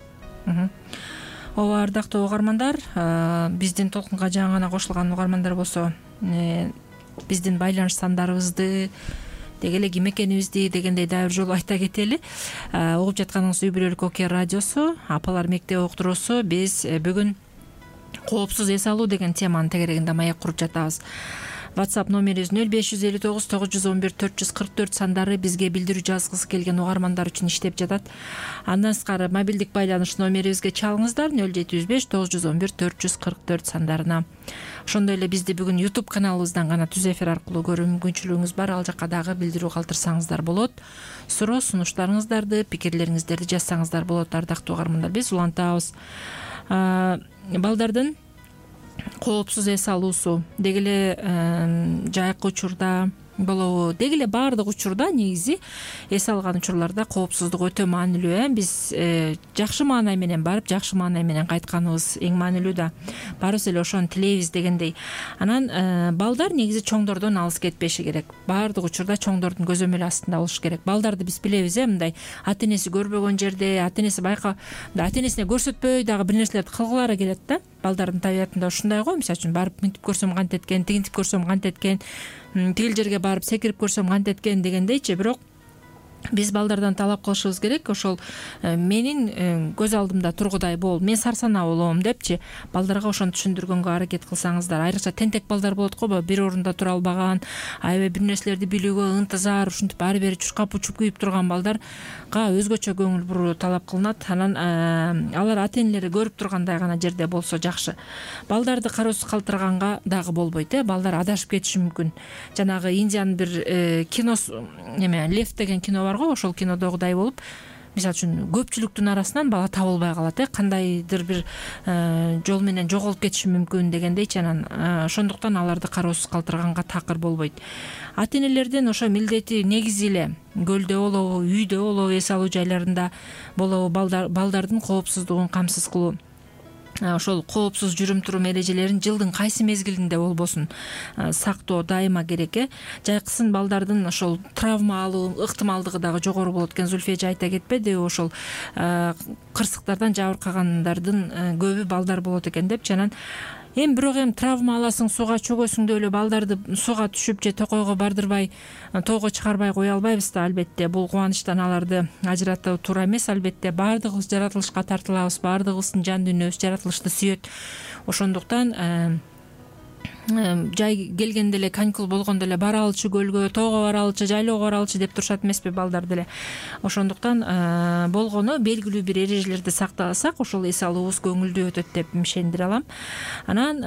S2: Ооба, ардактуу угармандар, биздин толкунга жаңы гана кошулган угармандар болсо, биздин байланыш сандарыбызды деги эле ким экенибизди дегендей дагы бир жолу айта кетели. Угуп жатканыңыз үй бүлөлүк Океан радиосу, апалар мектеп уктуруусу. Биз бүгүн коопсуз эс алуу деген теманын тегерегинде маек куруп жатабыз. WhatsApp номерибиз нөл беш жүз элүү тогуз тогуз жүз он бир төрт жүз кырк төрт сандары бизге билдирүү жазгысы келген угармандар үчүн иштеп жатат. Андан сырткары мобилдик байланыш номерибизге чалыңыздар нөл жети жүз беш тогуз жүз он бир төрт жүз кырк төрт сандарына. Ошондой эле бизди бүгүн YouTube каналыбыздан гана түз эфир аркылуу көрүү мүмкүнчүлүгүңүз бар. Ал жакка дагы билдирүү калтырсаңыздар болот. Суроо сунуштарыңыздарды, пикирлериңиздерди жазсаңыздар болот. Ардактуу угармандар, биз улантабыз. Балдардын коопсуз эс алуусу деги эле жайкы учурда болобу, деги эле баардык учурда негизи эс алган учурларда коопсуздук өтө маанилүү. Э биз жакшы маанай менен барып, жакшы маанай менен кайтканыбыз эң маанилүү да. Баарыбыз эле ошону тилейбиз дегендей. Анан балдар негизи чоңдордон алыс кетпеши керек. Баардык учурда чоңдордун көзөмөлү астында болуш керек. Балдарды биз билебиз, э мындай ата энеси көрбөгөн жерде, ата энеси байка, ата энесине көрсөтпөй дагы бир нерселерди кылгылары келет да. Балдардын табиятында ушундай го. Мисалы үчүн барып мынтип көрсөм кантип эткен, тигинтип көрсөм кантип эткен, тигил жерге барып секирип көрсөм кантип эткен дегендейчи. Бирок биз балдардан талап кылышыбыз керек, ошол менин көз алдымда тургудай бол, мен сарсанаа болом депчи балдарга ошону түшүндүргөнгө аракет кылсаңыздар. Айрыкча тентек балдар болот го, бир орунда тура албаган, аябай бир нерселерди билүүгө ынтызар, ушинтип ары бери чуркап учуп күйүп турган балдарга өзгөчө көңүл буруу талап кылынат. Анан алар ата энелери көрүп тургандай гана жерде болсо жакшы. Балдарды кароосуз калтырганга дагы болбойт, э балдар адашып кетиши мүмкүн. Жанагы Индиянын бир киносу, эме Лев деген кино бар го, ошол кинодогудай болуп, мисалы үчүн көпчүлүктүн арасынан бала табылбай калат, э кандайдыр бир жол менен жоголуп кетиши мүмкүн дегендейчи. Анан ошондуктан аларды кароосуз калтырганга такыр болбойт. Ата энелердин ошо милдети негизи эле көлдө болобу, үйдө болобу, эс алуу жайларында болобу балдардын коопсуздугун камсыз кылуу. Ошол коопсуз жүрүм турум эрежелерин жылдын кайсы мезгилинде болбосун сактоо дайыма керек. э Жайкысын балдардын ошол травма алуу ыктымалдыгы дагы жогору болот экен. Зульфия эже айта кетпедиби, ошол кырсыктардан жабыркагандардын көбү балдар болот экен депчи. Анан эми бирок эми травма аласың, сууга чөгөсүң эле балдарды сууга түшүп же токойго бардырбай, тоого чыгарбай кое албайбыз да. Албетте бул кубанычтан аларды ажыратуу туура эмес. Албетте баардыгыбыз жаратылышка тартылабыз, баардыгыбыздын жан дүйнөбүз жаратылышты сүйөт. Ошондуктан жай келгенде эле, каникул болгондо эле бара алчы көлгө, тоого бара алчы, жайлоого бара алчы деп турушат эмеспи балдар деле. Ошондуктан болгону белгилүү бир эрежелерди сактасак, ошол эс алуубуз көңүлдүү өтөт деп ишендире алам. Анан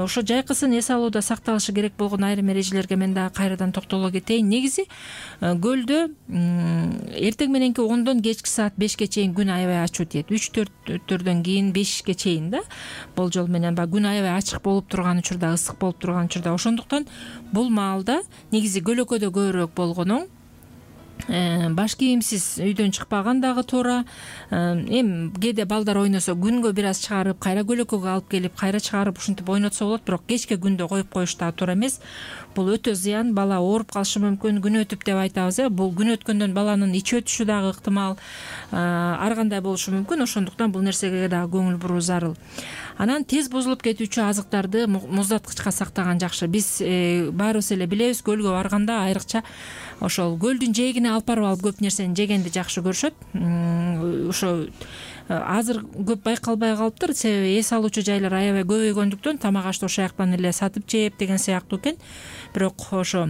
S2: ошо жайкысын эс алууда сакталышы керек болгон айрым эрежелерге мен дагы кайрадан токтоло кетейин. Негизи көлдө эртең мененки ондон кечки саат бешке чейин күн аябай ачуу тиет. үч төрттөрдөн кийин бешке чейин да болжол менен баягы күн аябай ачык болуп турган учурда, ысык болуп турган учурда. Ошондуктан бул маалда негизи көлөкөдө көбүрөөк болгону баш кийимсиз үйдөн чыкпаган дагы туура. Эми кээде балдар ойносо күнгө бир аз чыгарып, кайра көлөкөгө алып келип, кайра чыгарып ушинтип ойнотсо болот. Бирок кечке күндө коюп коюш дагы туура эмес. Бул өтө зыян. Бала ооруп калышы мүмкүн. Күн өтүп деп айтабыз, э бул күн өткөндөн баланын ичи өтүшү дагы ыктымал, ар кандай болушу мүмкүн. Ошондуктан бул нерсеге дагы көңүл буруу зарыл. Анан тез бузулуп кетүүчү азыктарды муздаткычка сактаган жакшы. Биз баарыбыз эле билебиз, көлгө барганда айрыкча ошол көлдүн жээгине алып барып алып көп нерсени жегенди жакшы көрүшөт. Ошо азыр көп байкалбай калыптыр, себеби эс алуучу жайлар аябай көбөйгөндүктөн тамак ашты ошол жактан эле сатып жеп деген сыяктуу экен. Бирок ошо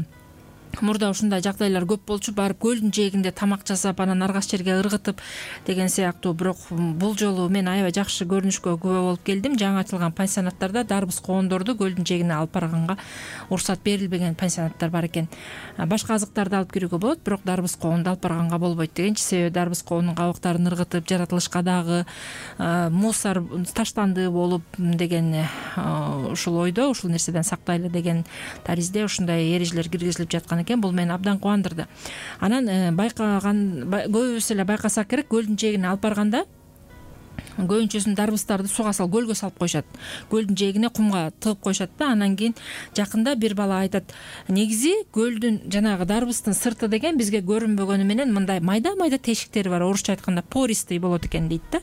S2: мурда ушундай жагдайлар көп болчу, барып көлдүн жээгинде тамак жасап, анан аргас жерге ыргытып деген сыяктуу. Бирок бул жолу мен аябай жакшы көрүнүшкө күбө болуп келдим. Жаңы ачылган пансионаттарда дарбыз коондорду көлдүн жээгине алып барганга уруксат берилбеген пансионаттар бар экен. Башка азыктарды алып кирүүгө болот, бирок дарбыз коонду алып барганга болбойт дегенчи. Себеби дарбыз коонун кабыктарын ыргытып, жаратылышка дагы мусор таштанды болуп деген ушул ойдо, ушул нерседен сактайлы деген таризде ушундай эрежелер киргизилип жаткан экен. Бул мени абдан кубандырды. Анан байкаган көбүбүз эле байкасак керек, көлдүн жээгине алып барганда көбүнчөсүн дарбыздарды суга салып көлгө салып коюшат, көлдүн жээгине кумга тыгып коюшат да. Анан кийин жакында бир бала айтат, негизи көлдүн жанагы дарбыздын сырты деген бизге көрүнбөгөнү менен мындай майда майда тешиктери бар, орусча айтканда пористый болот экен дейт да.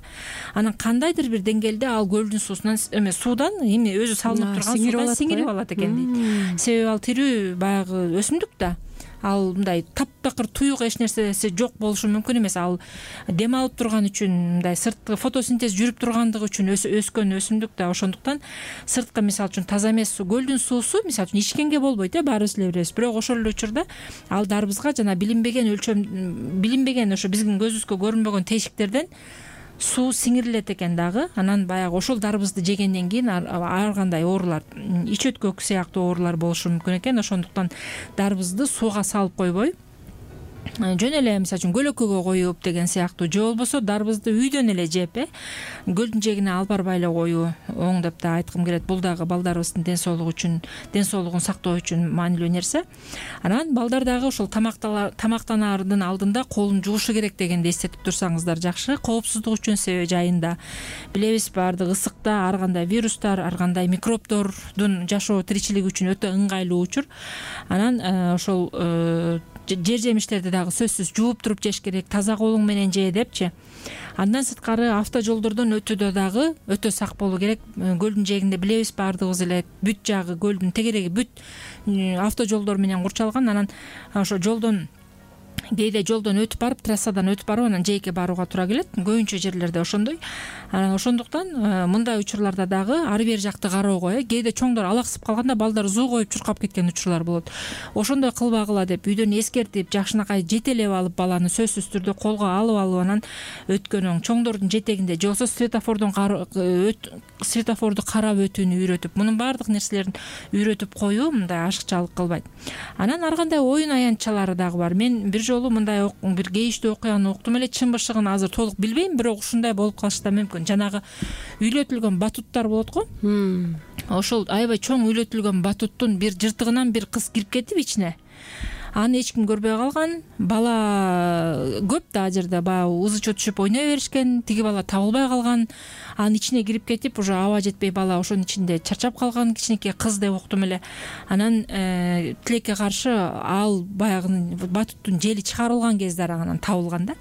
S2: Анан кандайдыр бир деңгээлде ал көлдүн суусунан эме суудан эми өзү салынып турган суудан сиңирип алат экен дейт. Себеби ал тирүү баягы өсүмдүк да, ал мындай таптакыр туюк эч нерсеси жок болушу мүмкүн эмес. Ал дем алып турган үчүн, мындай сырткы фотосинтез жүрүп тургандыгы үчүн өскөн өсүмдүк да. Ошондуктан сырткы мисалы үчүн таза эмес суу, көлдүн суусу мисалы үчүн ичкенге болбойт, э баарыбыз эле билебиз. Бирок ошол эле учурда ал дарбызга жана билинбеген өлчөм, билинбеген ошо биздин көзүбүзгө көрүнбөгөн тешиктерден суу сиңирилет экен дагы. Анан баягы ошол дарбызды жегенден кийин ар кандай оорулар, ич өткөк сыяктуу оорулар болушу мүмкүн экен. Ошондуктан дарбызды сууга салып койбой, жөн эле мисалы үчүн көлөкөгө коюп деген сыяктуу, же болбосо дарбызды үйдөн эле жеп, э көлдүн жээгине алып барбай эле коюу оң деп да айткым келет. Бул дагы балдарыбыздын ден соолугу үчүн, ден соолугун сактоо үчүн маанилүү нерсе. Анан балдар дагы ошол тамактанаардын алдында колун жуушу керек дегенди эстетип турсаңыздар жакшы, коопсуздук үчүн. Себеби жайында билебиз, баардык ысыкта ар кандай вирустар, ар кандай микробдордун жашоо тиричилиги үчүн өтө ыңгайлуу учур. Анан ошол жер жемиштерди дагы сөзсүз жууп туруп жеш керек, таза колуң менен же депчи. Андан сырткары автожолдордон өтүүдө дагы өтө сак болуу керек. Көлдүн жээгинде билебиз баардыгыбыз эле бүт жагы, көлдүн тегереги бүт автожолдор менен курчалган. Анан ошо жолдон кээде жолдон өтүп барып, трассадан өтүп барып анан жээкке барууга туура келет. Көбүнчө жерлерде ошондой. Ошондуктан мындай учурларда дагы ар бир жакты кароого, э кээде чоңдор алаксып калганда балдар зуу коюп чуркап кеткен учурлар болот. Ошондой кылбагыла деп үйдөн эскертип, жакшынакай жетелеп алып баланы сөзсүз түрдө колго алып алып анан өткөнүң чоңдордун жетегинде же болбосо светофордон светофорду карап өтүүнү үйрөтүп, мунун баардык нерселерин үйрөтүп коюу мындай ашыкчалык кылбайт. Анан ар кандай оюн аянтчалары дагы бар. Мен бир жолу мындай бир кейиштүү окуяны уктум эле, чын бышыгын азыр толук билбейм, бирок ушундай болуп калышы да мүмкүн. Жанагы үйлөтүлгөн батуттар болот го. Ошол аябай чоң үйлөтүлгөн батуттун бир жыртыгынан бир кыз кирип кетип ичине. Аны эч ким көрбөй калган. Бала көп да, ал жерде баягы ызы-чуу түшүп ойной беришкен. Тиги бала табылбай калган. Анын ичине кирип кетип, уже аба жетпей бала ошонун ичинде чарчап калган, кичинекей кыз деп уктум эле. Анан тилекке каршы ал баягы батуттун жели чыгарылган кезде анан табылган да.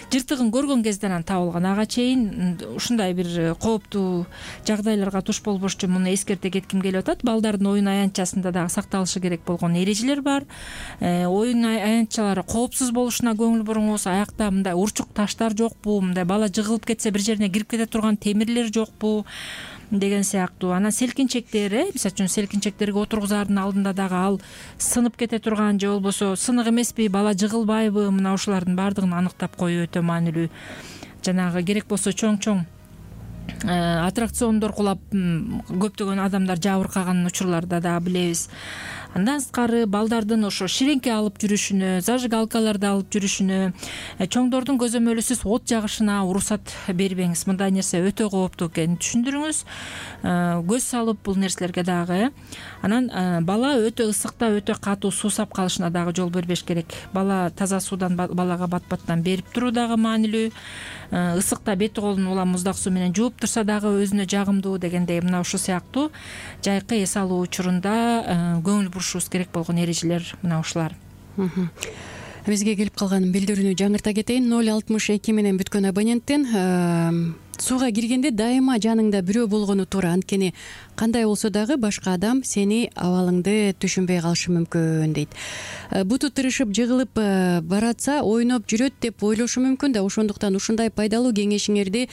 S2: Жыртыгын көргөн кезде анан табылган. Ага чейин ушундай бир кооптуу жагдайларга туш болбош үчүн муну эскерте кетким келип атат. Балдардын оюн аянтчасында дагы сакталышы керек болгон эрежелер бар. Оюн аянтчалары коопсуз болушуна көңүл буруңуз. Аякта мындай урчук таштар жокпу, мындай бала жыгылып кетсе бир жерине кирип кете турган темирлер жокпу деген сыяктуу. Анан селкинчектер, э мисалы үчүн селкинчектерге отургузаардын алдында дагы ал сынып кете турган же болбосо сынык эмеспи, бала жыгылбайбы, мына ушулардын баардыгын аныктап коюу өтө маанилүү. Жанагы керек болсо чоң-чоң аттракциондор кулап көптөгөн адамдар жабыркаган учурларда да билебиз. Андан сырткары балдардын ошо ширеңке алып жүрүшүнө, зажигалкаларды алып жүрүшүнө, чоңдордун көзөмөлүсүз от жагышына уруксат бербеңиз. Мындай нерсе өтө кооптуу экенин түшүндүрүңүз. Көз салып бул нерселерге дагы. Анан бала өтө ысыкта өтө катуу суусап калышына дагы жол бербеш керек. Бала таза суудан балага бат-баттан берип туруу дагы маанилүү. Ысыкта бети колун улам муздак суу менен жууп турса дагы өзүнө жагымдуу дегендей мына ушул сыяктуу жайкы эс алуу учурунда көңүл бурушубуз керек болгон эрежелер мына ушулар.
S3: Бизге келип калган билдирүүнү жаңырта кетейин. ноль алтымыш эки менен бүткөн абоненттен сууга киргенде дайыма жаныңда бирөө болгону туура. Анткени кандай болсо дагы башка адам сени абалыңды түшүнбөй калышы мүмкүн дейт. Буту тырышып жыгылып баратса ойноп жүрөт деп ойлошу мүмкүн да. Ошондуктан ушундай пайдалуу кеңешиңерди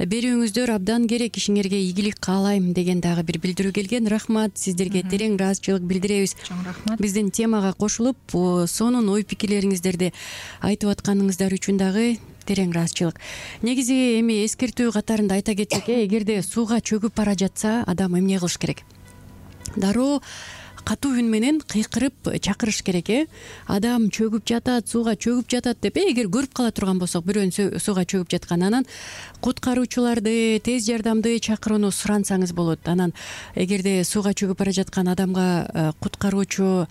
S3: берүүңүздөр абдан керек. Ишиңерге ийгилик каалайм деген дагы бир билдирүү келген. Рахмат, сиздерге терең ыраазычылык билдиребиз.
S2: Чоң рахмат.
S3: Биздин темага кошулуп, сонун ой пикирлериңиздерди айтып атканыңыздар үчүн дагы терең ыраазычылык. Негизи эми эскертүү катарында айта кетсек, эгерде сууга чөгүп бара жатса, адам эмне кылыш керек? Дароо катуу үн менен кыйкырып чакырыш керек, э адам чөгүп жатат, сууга чөгүп жатат деп, эгер көрүп кала турган болсок бирөөнүн сууга чөгүп жаткан, анан куткаруучуларды, тез жардамды чакырууну сурансаңыз болот. Анан эгерде сууга чөгүп бара жаткан адамга куткаруучу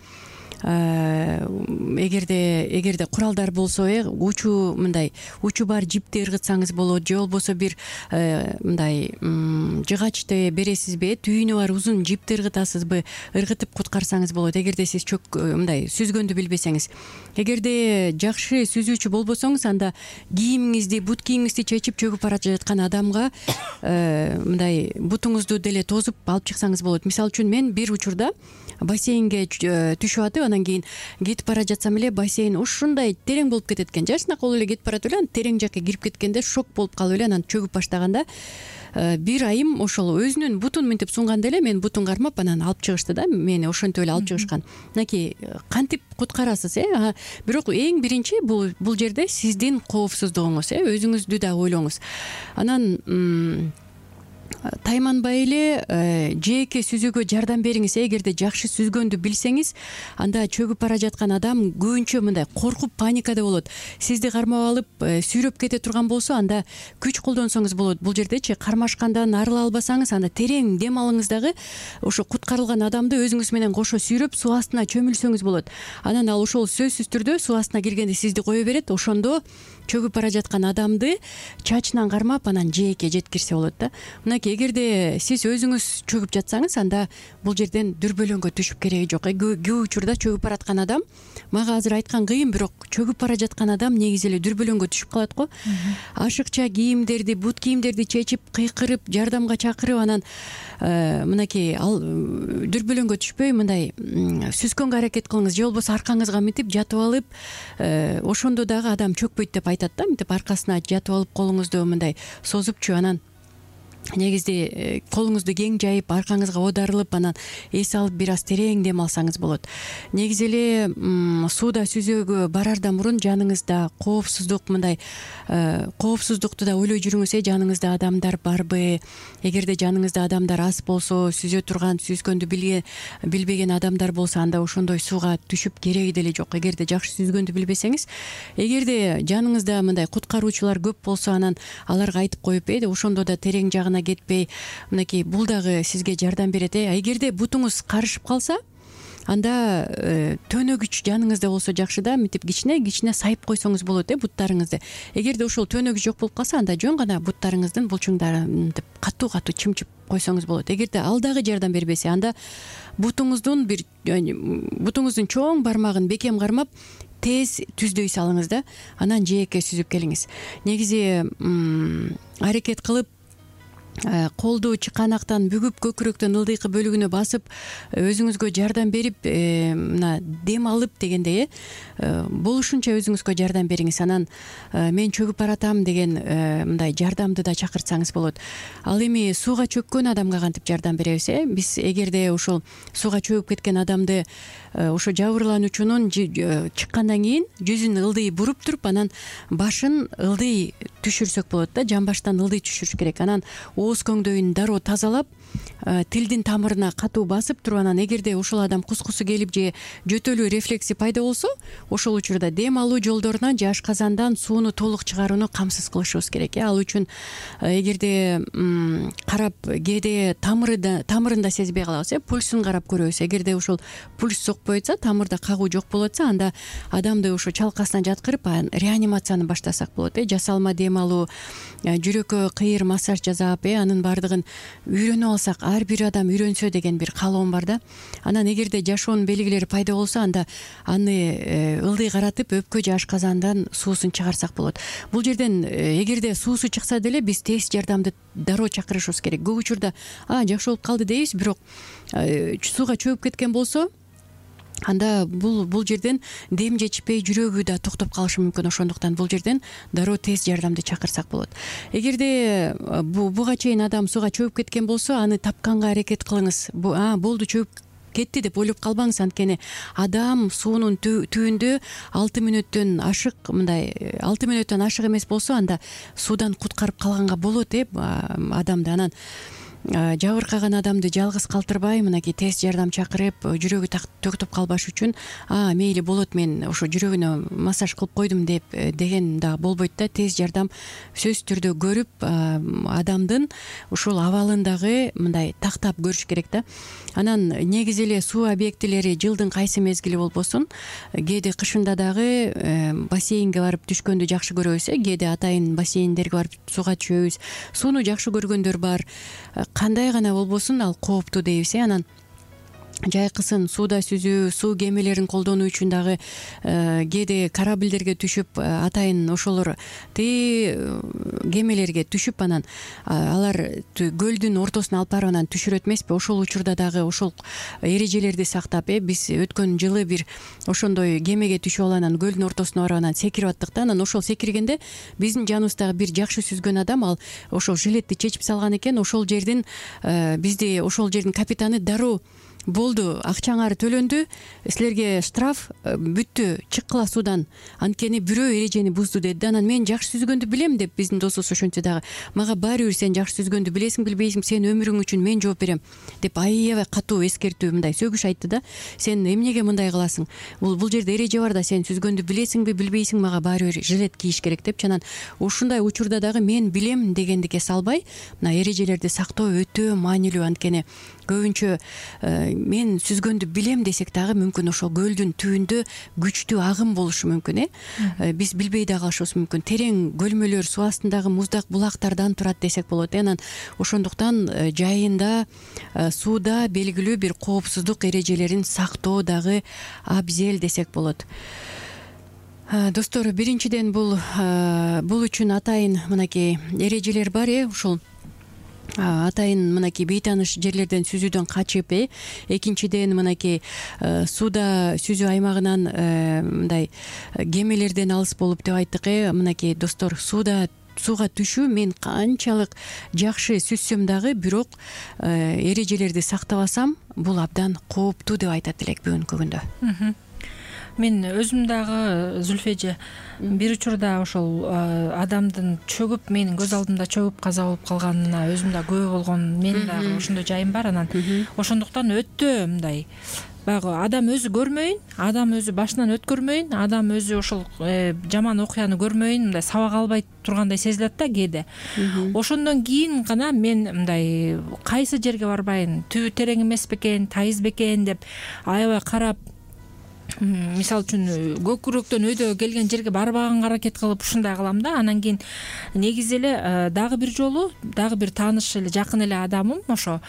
S3: эгерде эгерде куралдар болсо э учу мындай учу бар жипти ыргытсаңыз болот, же болбосо бир мындай жыгачты бересизби, түйүнү бар узун жипти ыргытасызбы, ыргытып куткарсаңыз болот. Эгерде сиз чөк мындай сүзгөндү билбесеңиз. Эгерде жакшы сүзүүчү болбосоңуз, анда кийимиңизди, бут кийимиңизди чечип чөгүп бара жаткан адамга мындай бутуңузду деле тозуп алып чыксаңыз болот. Мисалы үчүн мен бир учурда бассейнге түшүп атып, анан кийин кетип бара жатсам эле бассейн ушундай терең болуп кетет экен. Жашынакы болуп эле кетип баратып эле, анан терең жакка кирип кеткенде шок болуп калып эле анан чөгүп баштаганда бир айым ошол өзүнүн бутун мынтип сунганда эле мен бутун кармап анан алып чыгышты да, мени ошентип эле алып чыгышкан. Мынакей кантип куткарасыз э бирок эң биринчи бул бул жерде сиздин коопсуздугуңуз, э өзүңүздү да ойлоңуз. Анан тайманбай эле жеке сүзүүгө жардам бериңиз. Эгерде жакшы сүзгөндү билсеңиз, анда чөгүп бара жаткан адам көбүнчө мындай коркуп, паникада болот. Сизди кармап алып сүйрөп кете турган болсо, анда күч колдонсоңуз болот. Бул жердечи кармашкандан арыла албасаңыз, анда терең дем алыңыз дагы ошо куткарылган адамды өзүңүз менен кошо сүйрөп суу астына чөмүлсөңүз болот. Анан ал ошол сөзсүз түрдө суу астына киргенде сизди кое берет. Ошондо чөгүп бара жаткан адамды чачынан кармап анан жээкке жеткирсе болот да. Мынакей эгерде сиз өзүңүз чөгүп жатсаңыз, анда бул жерден дүрбөлөңгө түшүп кереги жок. Көп учурда чөгүп бараткан адам, мага азыр айткан кыйын, бирок чөгүп бара жаткан адам негизи эле дүрбөлөңгө түшүп калат го. Ашыкча кийимдерди, бут кийимдерди чечип, кыйкырып, жардамга чакырып, анан мынакей ал дүрбөлөңгө түшпөй мындай сүзгөнгө аракет кылыңыз, же болбосо аркаңызга мынтип жатып алып, ошондо дагы адам чөкпөйт деп айтат да. Мынтип аркасына жатып алып, колуңузду мындай созупчу, анан негизди колуңузду кең жайып, аркаңызга оодарылып, анан эс алып бир аз терең дем алсаңыз болот. Негизи эле сууда сүзөөгө барардан мурун жаныңызда коопсуздук мындай коопсуздукту да ойлой жүрүңүз. Э жаныңызда адамдар барбы? Эгерде жаныңызда адамдар аз болсо, сүзө турган, сүзгөндү билбеген адамдар болсо, анда ошондой сууга түшүп кереги деле жок. Эгерде жакшы сүзгөндү билбесеңиз, эгерде жаныңызда мындай куткаруучулар көп болсо, анан аларга айтып коюп, э ошондо да терең жагына кетпей, мынакей бул дагы сизге жардам берет. Э эгерде бутуңуз карышып калса, анда төнөгүч жаныңызда болсо жакшы да, мынтип кичине кичине сайып койсоңуз болот э буттарыңызды. Эгерде ошол төнөгүч жок болуп калса, анда жөн гана буттарыңыздын булчуңдарын мынтип катуу катуу чымчып койсоңуз болот. Эгерде ал дагы жардам бербесе, анда бутуңуздун бир бутуңуздун чоң бармагын бекем кармап тез түздөй салыңыз да, анан жээкке сүзүп келиңиз. Негизи аракет кылып колду чыканактан бүгүп, көкүрөктүн ылдыйкы бөлүгүнө басып, өзүңүзгө жардам берип, мына дем алып дегендей э болушунча өзүңүзгө жардам бериңиз. Анан мен чөгүп баратам деген мындай жардамды да чакыртсаңыз болот. Ал эми сууга чөккөн адамга кантип жардам беребиз? Э биз эгерде ошол сууга чөгүп кеткен адамды ошо жабырлануучунун чыккандан кийин жүзүн ылдый буруп туруп, анан башын ылдый түшүрсөк болот да, жамбаштан ылдый түшүрүш керек. Анан ооз көңдөйүн дароо тазалап, тилдин тамырына катуу басып туруп, анан эгерде ошол адам кускусу келип же жөтөлүү рефлекси пайда болсо, ошол учурда дем алуу жолдорунан же ашказандан сууну толук чыгарууну камсыз кылышыбыз керек. Ал үчүн эгерде карап, кээде тамырында тамырында сезбей калабыз, э пульсун карап көрөбүз. Эгерде ошол пульс сокпой атса, тамырда кагуу жок болуп атса, анда адамды ошо чалкасынан жаткырып, реанимацияны баштасак болот. Э жасалма дем алуу, жүрөккө кыйыр массаж жасап, э анын баардыгын үйрөнүп алсак, ар бир адам үйрөнсө деген бир каалоом бар да. Анан эгерде жашоонун белгилери пайда болсо, анда аны ылдый каратып, өпкө же ашказандан суусун чыгарсак болот. Бул жерден эгерде суусу чыкса деле биз тез жардамды дароо чакырышыбыз керек. Көп учурда а жакшы болуп калды дейбиз, бирок сууга чөгүп кеткен болсо, анда бул бул жерден дем жетишпей, жүрөгү да токтоп калышы мүмкүн. Ошондуктан бул жерден дароо тез жардамды чакырсак болот. Эгерде буга чейин адам сууга чөгүп кеткен болсо, аны тапканга аракет кылыңыз. А болду, чөгүп кетти деп ойлоп калбаңыз. Анткени адам суунун түбүндө алты мүнөттөн ашык, мындай алты мүнөттөн ашык эмес болсо, анда суудан куткарып калганга болот э адамды. Анан жабыркаган адамды жалгыз калтырбай, мынакей тез жардам чакырып, жүрөгү төктөп калбаш үчүн а мейли болот, мен ошо жүрөгүнө массаж кылып койдум деп деген да болбойт да. Тез жардам сөзсүз түрдө көрүп, адамдын ушул абалын дагы мындай тактап көрүш керек да. анан негизи эле суу объектилери жылдын кайсы мезгили болбосун кээде кышында дагы бассейнге барып түшкөндү жакшы көрөбүз, э кээде атайын бассейндерге барып сууга түшөбүз. Сууну жакшы көргөндөр бар. Кандай гана болбосун ал кооптуу дейбиз. Анан жайкысын сууда сүзүү, суу кемелерин колдонуу үчүн дагы кээде корабльдерге түшүп атайын ошолор тээ кемелерге түшүп анан алар көлдүн ортосуна алып барып анан түшүрөт эмеспи? Ошол учурда дагы ошол эрежелерди сактап, э биз өткөн жылы бир ошондой кемеге түшүп алып анан көлдүн ортосуна барып анан секирип аттык да. Анан ошол секиргенде биздин жаныбыздагы бир жакшы сүзгөн адам ал ошол жилетти чечип салган экен. Ошол жердин бизди ошол жердин капитаны дароо болду, акчаңар төлөндү, силерге штраф, бүттү, чыккыла суудан, анткени бирөө эрежени бузду деди. Анан мен жакшы сүзгөндү билем деп биздин досубуз ошентсе дагы мага баары бир сен жакшы сүзгөндү билесиң билбейсиң, сен өмүрүң үчүн мен жооп берем деп аябай катуу эскертүү, мындай сөгүш айтты да. Сен эмнеге мындай кыласың? Бул бул жерде эреже бар да, сен сүзгөндү билесиңби билбейсиң, мага баары бир жилет кийиш керек деп. Анан ушундай учурда дагы мен билем дегендикке салбай, мына эрежелерди сактоо өтө маанилүү. Анткени көбүнчө мен сүзгөндү билем десек дагы мүмкүн ошол көлдүн түбүндө күчтүү агым болушу мүмкүн, э биз билбей да калышыбыз мүмкүн. Терең көлмөлөр, суу астындагы муздак булактардан турат десек болот. Анан ошондуктан жайында сууда белгилүү бир коопсуздук эрежелерин сактоо дагы абзел десек болот. Достор, биринчиден бул бул үчүн атайын мынакей эрежелер бар, э ушул атайын мынакей бейтааныш жерлерден сүзүүдөн качып, э экинчиден мынакей сууда сүзүү аймагынан мындай кемелерден алыс болуп деп айттык, э мынакей достор, сууда сууга түшүү мен канчалык жакшы сүзсөм дагы бирок эрежелерди сактабасам бул абдан кооптуу деп айтат элек бүгүнкү күндө.
S2: Мен өзүм дагы Зүлфеже бир учурда ошол адамдын чөгүп, менин көз алдымда чөгүп каза болуп калганына өзүм да күбө болгон, мен дагы ошондой жайым бар. Анан ошондуктан өтө мындай баягы адам өзү көрмөйүн, адам өзү башынан өткөрмөйүн, адам өзү ошол жаман окуяны көрмөйүн, мындай сабак албай тургандай сезилет да кээде. Ошондон кийин гана мен мындай кайсы жерге барбайын, түбү терең эмес бекен, тайыз бекен деп аябай карап, мисалы үчүн көкүрөктөн өйдө келген жерге барбаганга аракет кылып ушундай кылам да. Анан кийин негизи эле дагы бир жолу дагы бир тааныш эле жакын эле адамым ошо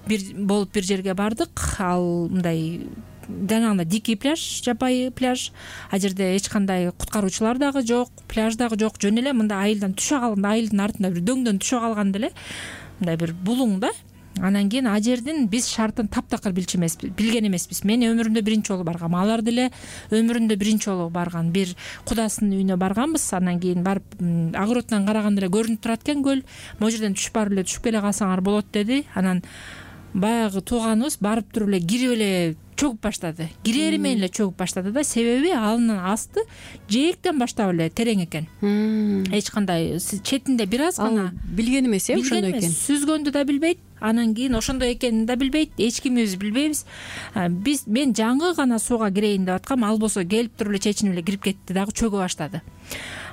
S2: бир болуп бир жерге бардык. Ал мындай жанагындай дикий пляж, жапайы пляж. А жерде эч кандай куткаруучулар дагы жок, пляж дагы жок. Жөн эле мындай айылдан түшө калган, айылдын артында бир дөңдөн түшө калган деле мындай бир булуң да. Анан кийин а жердин биз шартын таптакыр билчү эмеспиз, билген эмеспиз. Мен өмүрүмдө биринчи жолу баргам, алар деле өмүрүндө биринчи жолу барган. Бир кудасынын үйүнө барганбыз. Анан кийин барып огороддон караганда эле көрүнүп турат экен көл. Могу жерден түшүп барып эле түшүп келе калсаңар болот деди. Анан баягы тууганыбыз барып туруп эле кирип эле чөгүп баштады. Кирери менен эле чөгүп баштады да. Себеби анын асты жээктен баштап эле терең экен. Эч кандай четинде бир аз гана
S3: билген эмес, э ошондой экен.
S2: Сүзгөндү да билбейт. Анан кийин ошондой экенин да билбейт, эч кимибиз билбейбиз. Биз мен жаңы гана сууга кирейин деп аткам, ал болсо келип туруп эле чечинип эле кирип кетти дагы чөгө баштады.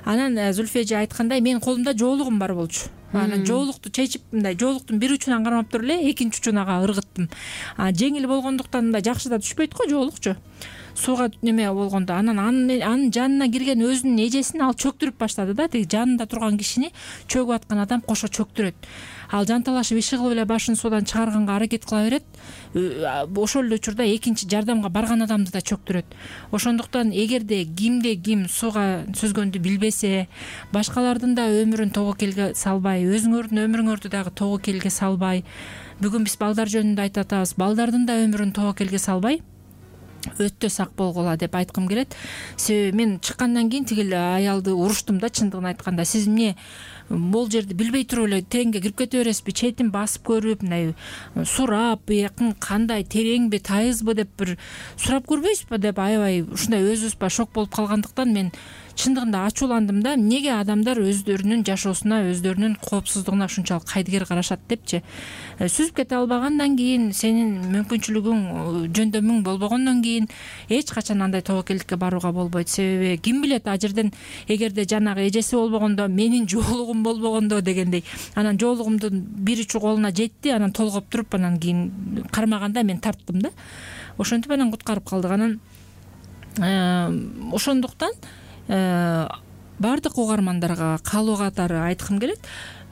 S2: Анан Зүлфеже айткандай менин колумда жоолугум бар болчу. Анан жоолукту чечип, мындай жоолуктун бир учунан кармап туруп эле экинчи учунага ыргыттым. Жеңил болгондуктан мындай жакшы да түшпөйт го жоолукчу. Сууга неме болгондо анан анын жанына кирген өзүнүн эжесин ал чөктүрүп баштады да. Тиги жанында турган кишини чөгүп аткан адам кошо чөктүрөт. Ал жанталашып иши кылып эле башын суудан чыгарганга аракет кыла берет. Ошол эле учурда экинчи жардамга барган адамды да чөктүрөт. Ошондуктан эгерде кимде ким сууга сүзгөндү билбесе, башкалардын да өмүрүн тобокелге салбай, өзүңөрдүн өмүрүңөрдү дагы тобокелге салбай, бүгүн биз балдар жөнүндө айтып атабыз, балдардын да өмүрүн тобокелге салбай өтө сак болгула деп айткым келет. Себеби мен чыккандан кийин тигил аялды уруштум да, чындыгын айтканда. Сиз эмне бул жерди билбей туруп эле тереңге кирип кете бересизби, четин басып көрүп, мындай сурап, бuyакын кандай тереңби, тайызбы деп бир сурап көрбөйсүзбү деп аябай ушундай өзүбүз ба шок болуп калгандыктан мен чындыгында ачууландым да, эмнеге адамдар өздөрүнүн жашоосуна, өздөрүнүн коопсуздугуна ушунчалык кайдыгер карашат депчи. Сүзүп кете албагандан кийин, сенин мүмкүнчүлүгүң жөндөмүң болбогондон кийин эч качан андай тобокелдикке барууга болбойт. Себеби ким билет, а жерден эгерде жанагы эжеси болбогондо, менин жоолугум болбогондо дегендей, анан жоолугумдун бир учу колуна жетти, анан толгоп туруп, анан кийин кармаганда мен тарттым да. Ошентип анан куткарып калдык. Анан ошондуктан баардык угармандарга калуу катары айткым келет,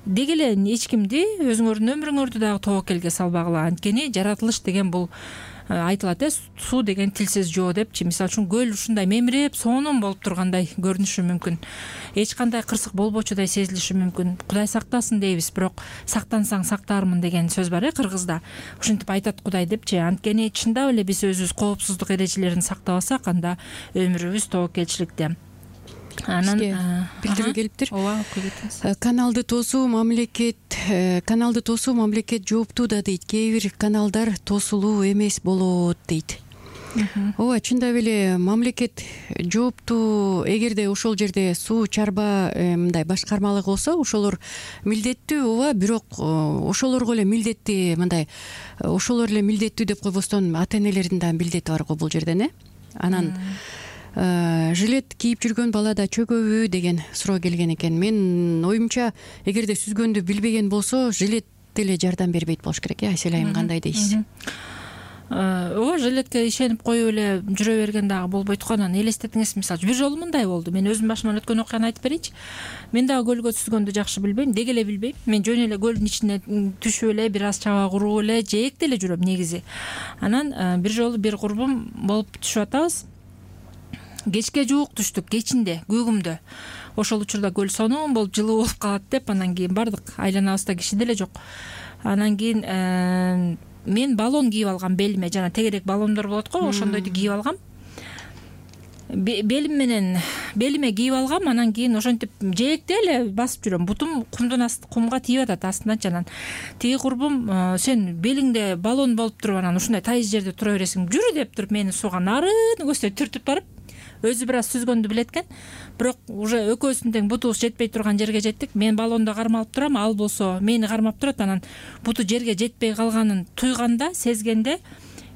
S2: деги эле эч кимди өзүңөрдүн өмүрүңөрдү дагы тобокелге салбагыла. Анткени жаратылыш деген бул айтылат э, суу деген тилсиз жоо депчи. Мисалы үчүн көл ушундай мемиреп, сонун болуп тургандай көрүнүшү мүмкүн. Эч кандай кырсык болбочудай сезилиши мүмкүн. Кудай сактасын дейбиз, бирок сактансаң сактаармын деген сөз бар э кыргызда. Ушинтип айтат Кудай депчи. Анткени чындап эле биз өзүбүз коопсуздук эрежелерин сактабасак, анда өмүрүбүз тобокелчиликте. Анан
S3: билдирүү келиптир.
S2: Ооба, окуй кетиңиз.
S3: Каналды тосуу мамлекет каналды тосуу мамлекет жооптуу да дейт. Кээ бир каналдар тосулуу эмес болот дейт. Ооба, чындап эле мамлекет жооптуу. Эгерде ошол жерде суу чарба мындай башкармалык болсо, ошолор милдеттүү. Ооба, бирок ошолорго эле милдетти, мындай ошолор эле милдеттүү деп койбостон, ата энелердин да милдети бар го бул жерден э. Анан жилет кийип жүргөн бала да чөгөбү деген суроо келген экен. Мен оюмча, эгерде сүзгөндү билбеген болсо, жилет деле жардам бербейт болуш керек э. Айсель айым, кандай дейсиз?
S2: Ооба, жилетке ишенип коюп эле жүрө берген дагы болбойт го. Анан элестетиңиз, мисалы бир жолу мындай болду. Мен өзүм башыман өткөн окуяны айтып берейинчи. Мен дагы көлгө сүзгөндү жакшы билбейм, деги эле билбейм. Мен жөн эле көлдүн ичине түшүп эле, бир аз чаба куруп эле, жээкте эле жүрөм негизи. Анан бир жолу бир курбум болуп түшүп атабыз. Кечке жуук түштүк, кечинде, көгүмдө. Ошол учурда көл сонун болуп, жылуу болуп калат деп, анан кийин бардык. Айланабызда киши деле жок. Анан кийин мен баллон кийип алгам белиме, жана тегерек баллондор болот го, ошондойду кийип алгам. Белим менен белиме кийип алгам, анан кийин ошентип жээкте эле басып жүрөм. Бутум кумдун асты, кумга тийип атат астынан. Анан тиги курбум, сен белиңде баллон болуп туруп, анан ушундай тайыз жерде тура бересиң, жүрү деп туруп мени сууга нарыны көздөй түртүп барып, өзү бир аз сүзгөндү билет экен. Бирок уже экөөбүздүн тең бутубуз жетпей турган жерге жеттик. Мен баллондо кармалып турам, ал болсо мени кармап турат. Анан буту жерге жетпей калганын туйганда, сезгенде,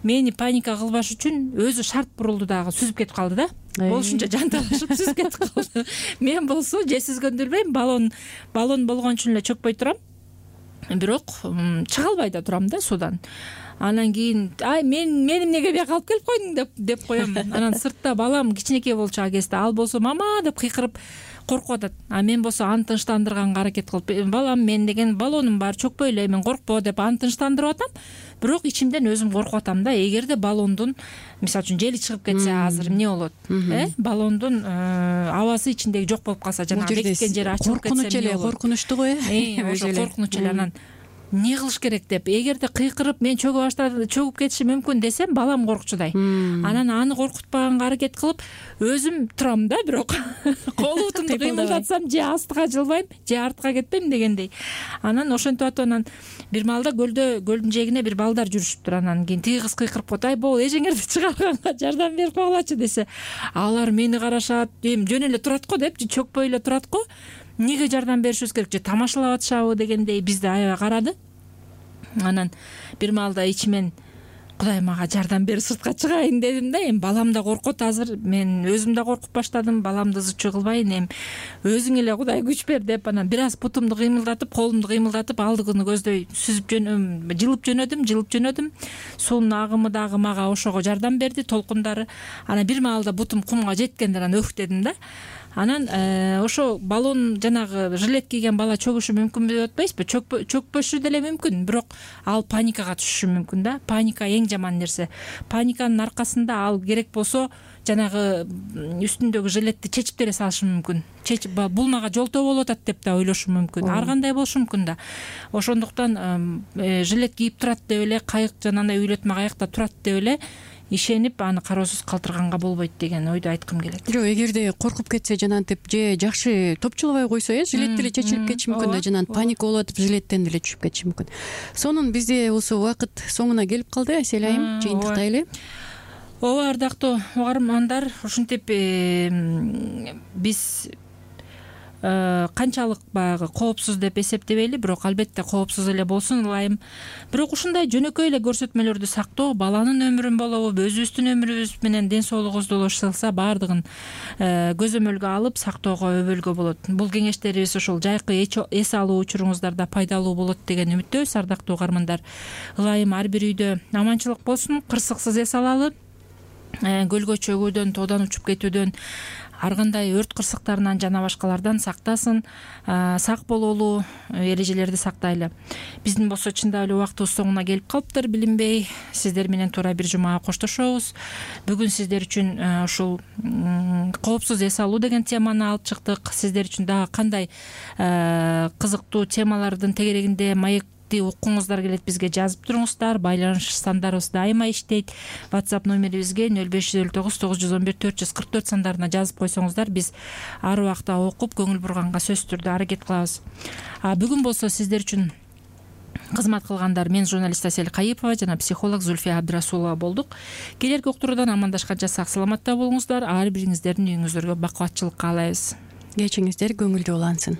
S2: мени паника кылбаш үчүн өзү шарт бурулду дагы, сүзүп кетип калды да. Болушунча жанталашып сүзүп кетип калды. Мен болсо же сүзгөндү билбейм, баллон баллон болгон үчүн эле чөкпөй турам. Бирок чыга албай да турам да суудан. Анан кийин, ай, мен мени эмнеге бияка алып келип койдуң деп деп коем. Анан сыртта балам кичинекей болчу ал кезде, ал болсо мама деп кыйкырып коркуп атат. А мен болсо аны тынчтандырганга аракет кылып, балам, мен деген баллонум бар, чөкпөй эле, мен коркпо деп аны тынчтандырып атам. Бирок ичимден өзүм коркуп атам да. Эгерде баллондун, мисалы үчүн, жели чыгып кетсе, азыр эмне болот? Э? Баллондун абасы ичиндеги жок болуп калса, жана бекиткен жери ачылып кетсе,
S3: коркунуч эле, коркунучтуу го э.
S2: Ошо коркунуч эле. Анан эмне кылыш керек деп, эгерде кыйкырып мен чөгүп баштады, чөгүп кетиши мүмкүн десем, балам коркчудай. Анан аны коркутпаганга аракет кылып өзүм турам да, бирок кол бутумду кыймылдатсам, же астыга жылбайм, же артка кетпейм дегендей. Анан ошентип атып, анан бир маалда көлдө, көлдүн жээгине бир балдар жүрүшүптүр. Анан кийин тиги кыз кыйкырып коет, ай, бул эжеңерди чыгарганга жардам берип койгулачы десе, алар мени карашат, эми жөн эле турат го депчи, чөкпөй эле турат го. Эмнеге жардам беришибиз керек, же тамашалап атышабы дегендей бизди аябай карады. Анан бир маалда ичимен, Кудай мага жардам берип сыртка чыгайын дедим да. Эми балам да коркот азыр, мен өзүм да коркуп баштадым, баламды зычу кылбайын, эми өзүң эле Кудай күч бер деп, анан бир аз бутумду кыймылдатып, колумду кыймылдатып, алдыгыны көздөй сүзүп жөнөм, жылып жөнөдүм, жылып жөнөдүм. Суунун агымы дагы мага ошого жардам берди, толкундары. Анан бир маалда бутум кумга жеткенде анан өх дедим да. Анан ошо баллон, жанагы жилет кийген бала чөгүшү мүмкүн деп атпайсызбы? Чөкпөшү деле мүмкүн, бирок ал паникага түшүшү мүмкүн да. Паника эң жаман нерсе. Паниканын аркасында ал керек болсо жанагы үстүндөгү жилетти чечип деле салышы мүмкүн. Чечип, бул мага жолтоо болуп атат деп да ойлошу мүмкүн. Ар кандай болушу мүмкүн да. Ошондуктан жилет кийип турат деп эле, кайык жанагындай үйлөтмө кайыкта турат деп эле ишенип аны кароосуз калтырганга болбойт деген ойду айткым келет. Жок,
S3: эгерде коркуп кетсе, жанагынтип же жакшы топчулабай койсо, э, жилет деле чечилип кетиши мүмкүн да, жанагы паника болуп атып жилеттен деле түшүп кетиши мүмкүн. Сонун бизде болсо убакыт соңуна келип калды, Айсель айым, жыйынтыктайлы.
S2: ооба, ардактуу угармандар, ушинтип биз канчалык баягы коопсуз деп эсептебейли, бирок албетте коопсуз эле болсун ылайым. Бирок ушундай жөнөкөй эле көрсөтмөлөрдү сактоо баланын өмүрүн болобу, өзүбүздүн өмүрүбүз менен ден соолугубузду улашса баардыгын көзөмөлгө алып сактоого өбөлгө болот. Бул кеңештерибиз ушул жайкы эс алуу учуруңуздарда пайдалуу болот деген үмүттөбүз, ардактуу угармандар. Ылайым ар бир үйдө аманчылык болсун, кырсыксыз эс алалы, көлгө чөгүүдөн, тоодан учуп кетүүдөн, ар кандай өрт кырсыктарынан жана башкалардан сактасын, сак бололу, эрежелерди сактайлы. Биздин болсо чындап эле убактыбыз соңуна келип калыптыр, билинбей сиздер менен туура бир жумага коштошобуз. Бүгүн сиздер үчүн ушул коопсуз эс алуу деген теманы алып чыктык. Сиздер үчүн дагы кандай кызыктуу темалардын тегерегинде маек уккуңуздар келет, бизге жазып туруңуздар. Байланыш сандарыбыз дайыма иштейт. WhatsApp номерибизге нөл беш жүз элүү тогуз тогуз жүз он бир төрт жүз кырк төрт сандарына жазып койсоңуздар, биз ар убакта окуп көңүл бурганга сөзсүз түрдө аракет кылабыз. Бүгүн болсо сиздер үчүн кызмат кылгандар мен журналист Асель Кайыпова жана психолог Зульфия Абдрасулова болдук. Келерки уктуруудан амандашканча сак саламатта болуңуздар. Ар бириңиздердин үйүңүздөргө бакубатчылык каалайбыз.
S3: Кечиңиздер көңүлдүү улансын.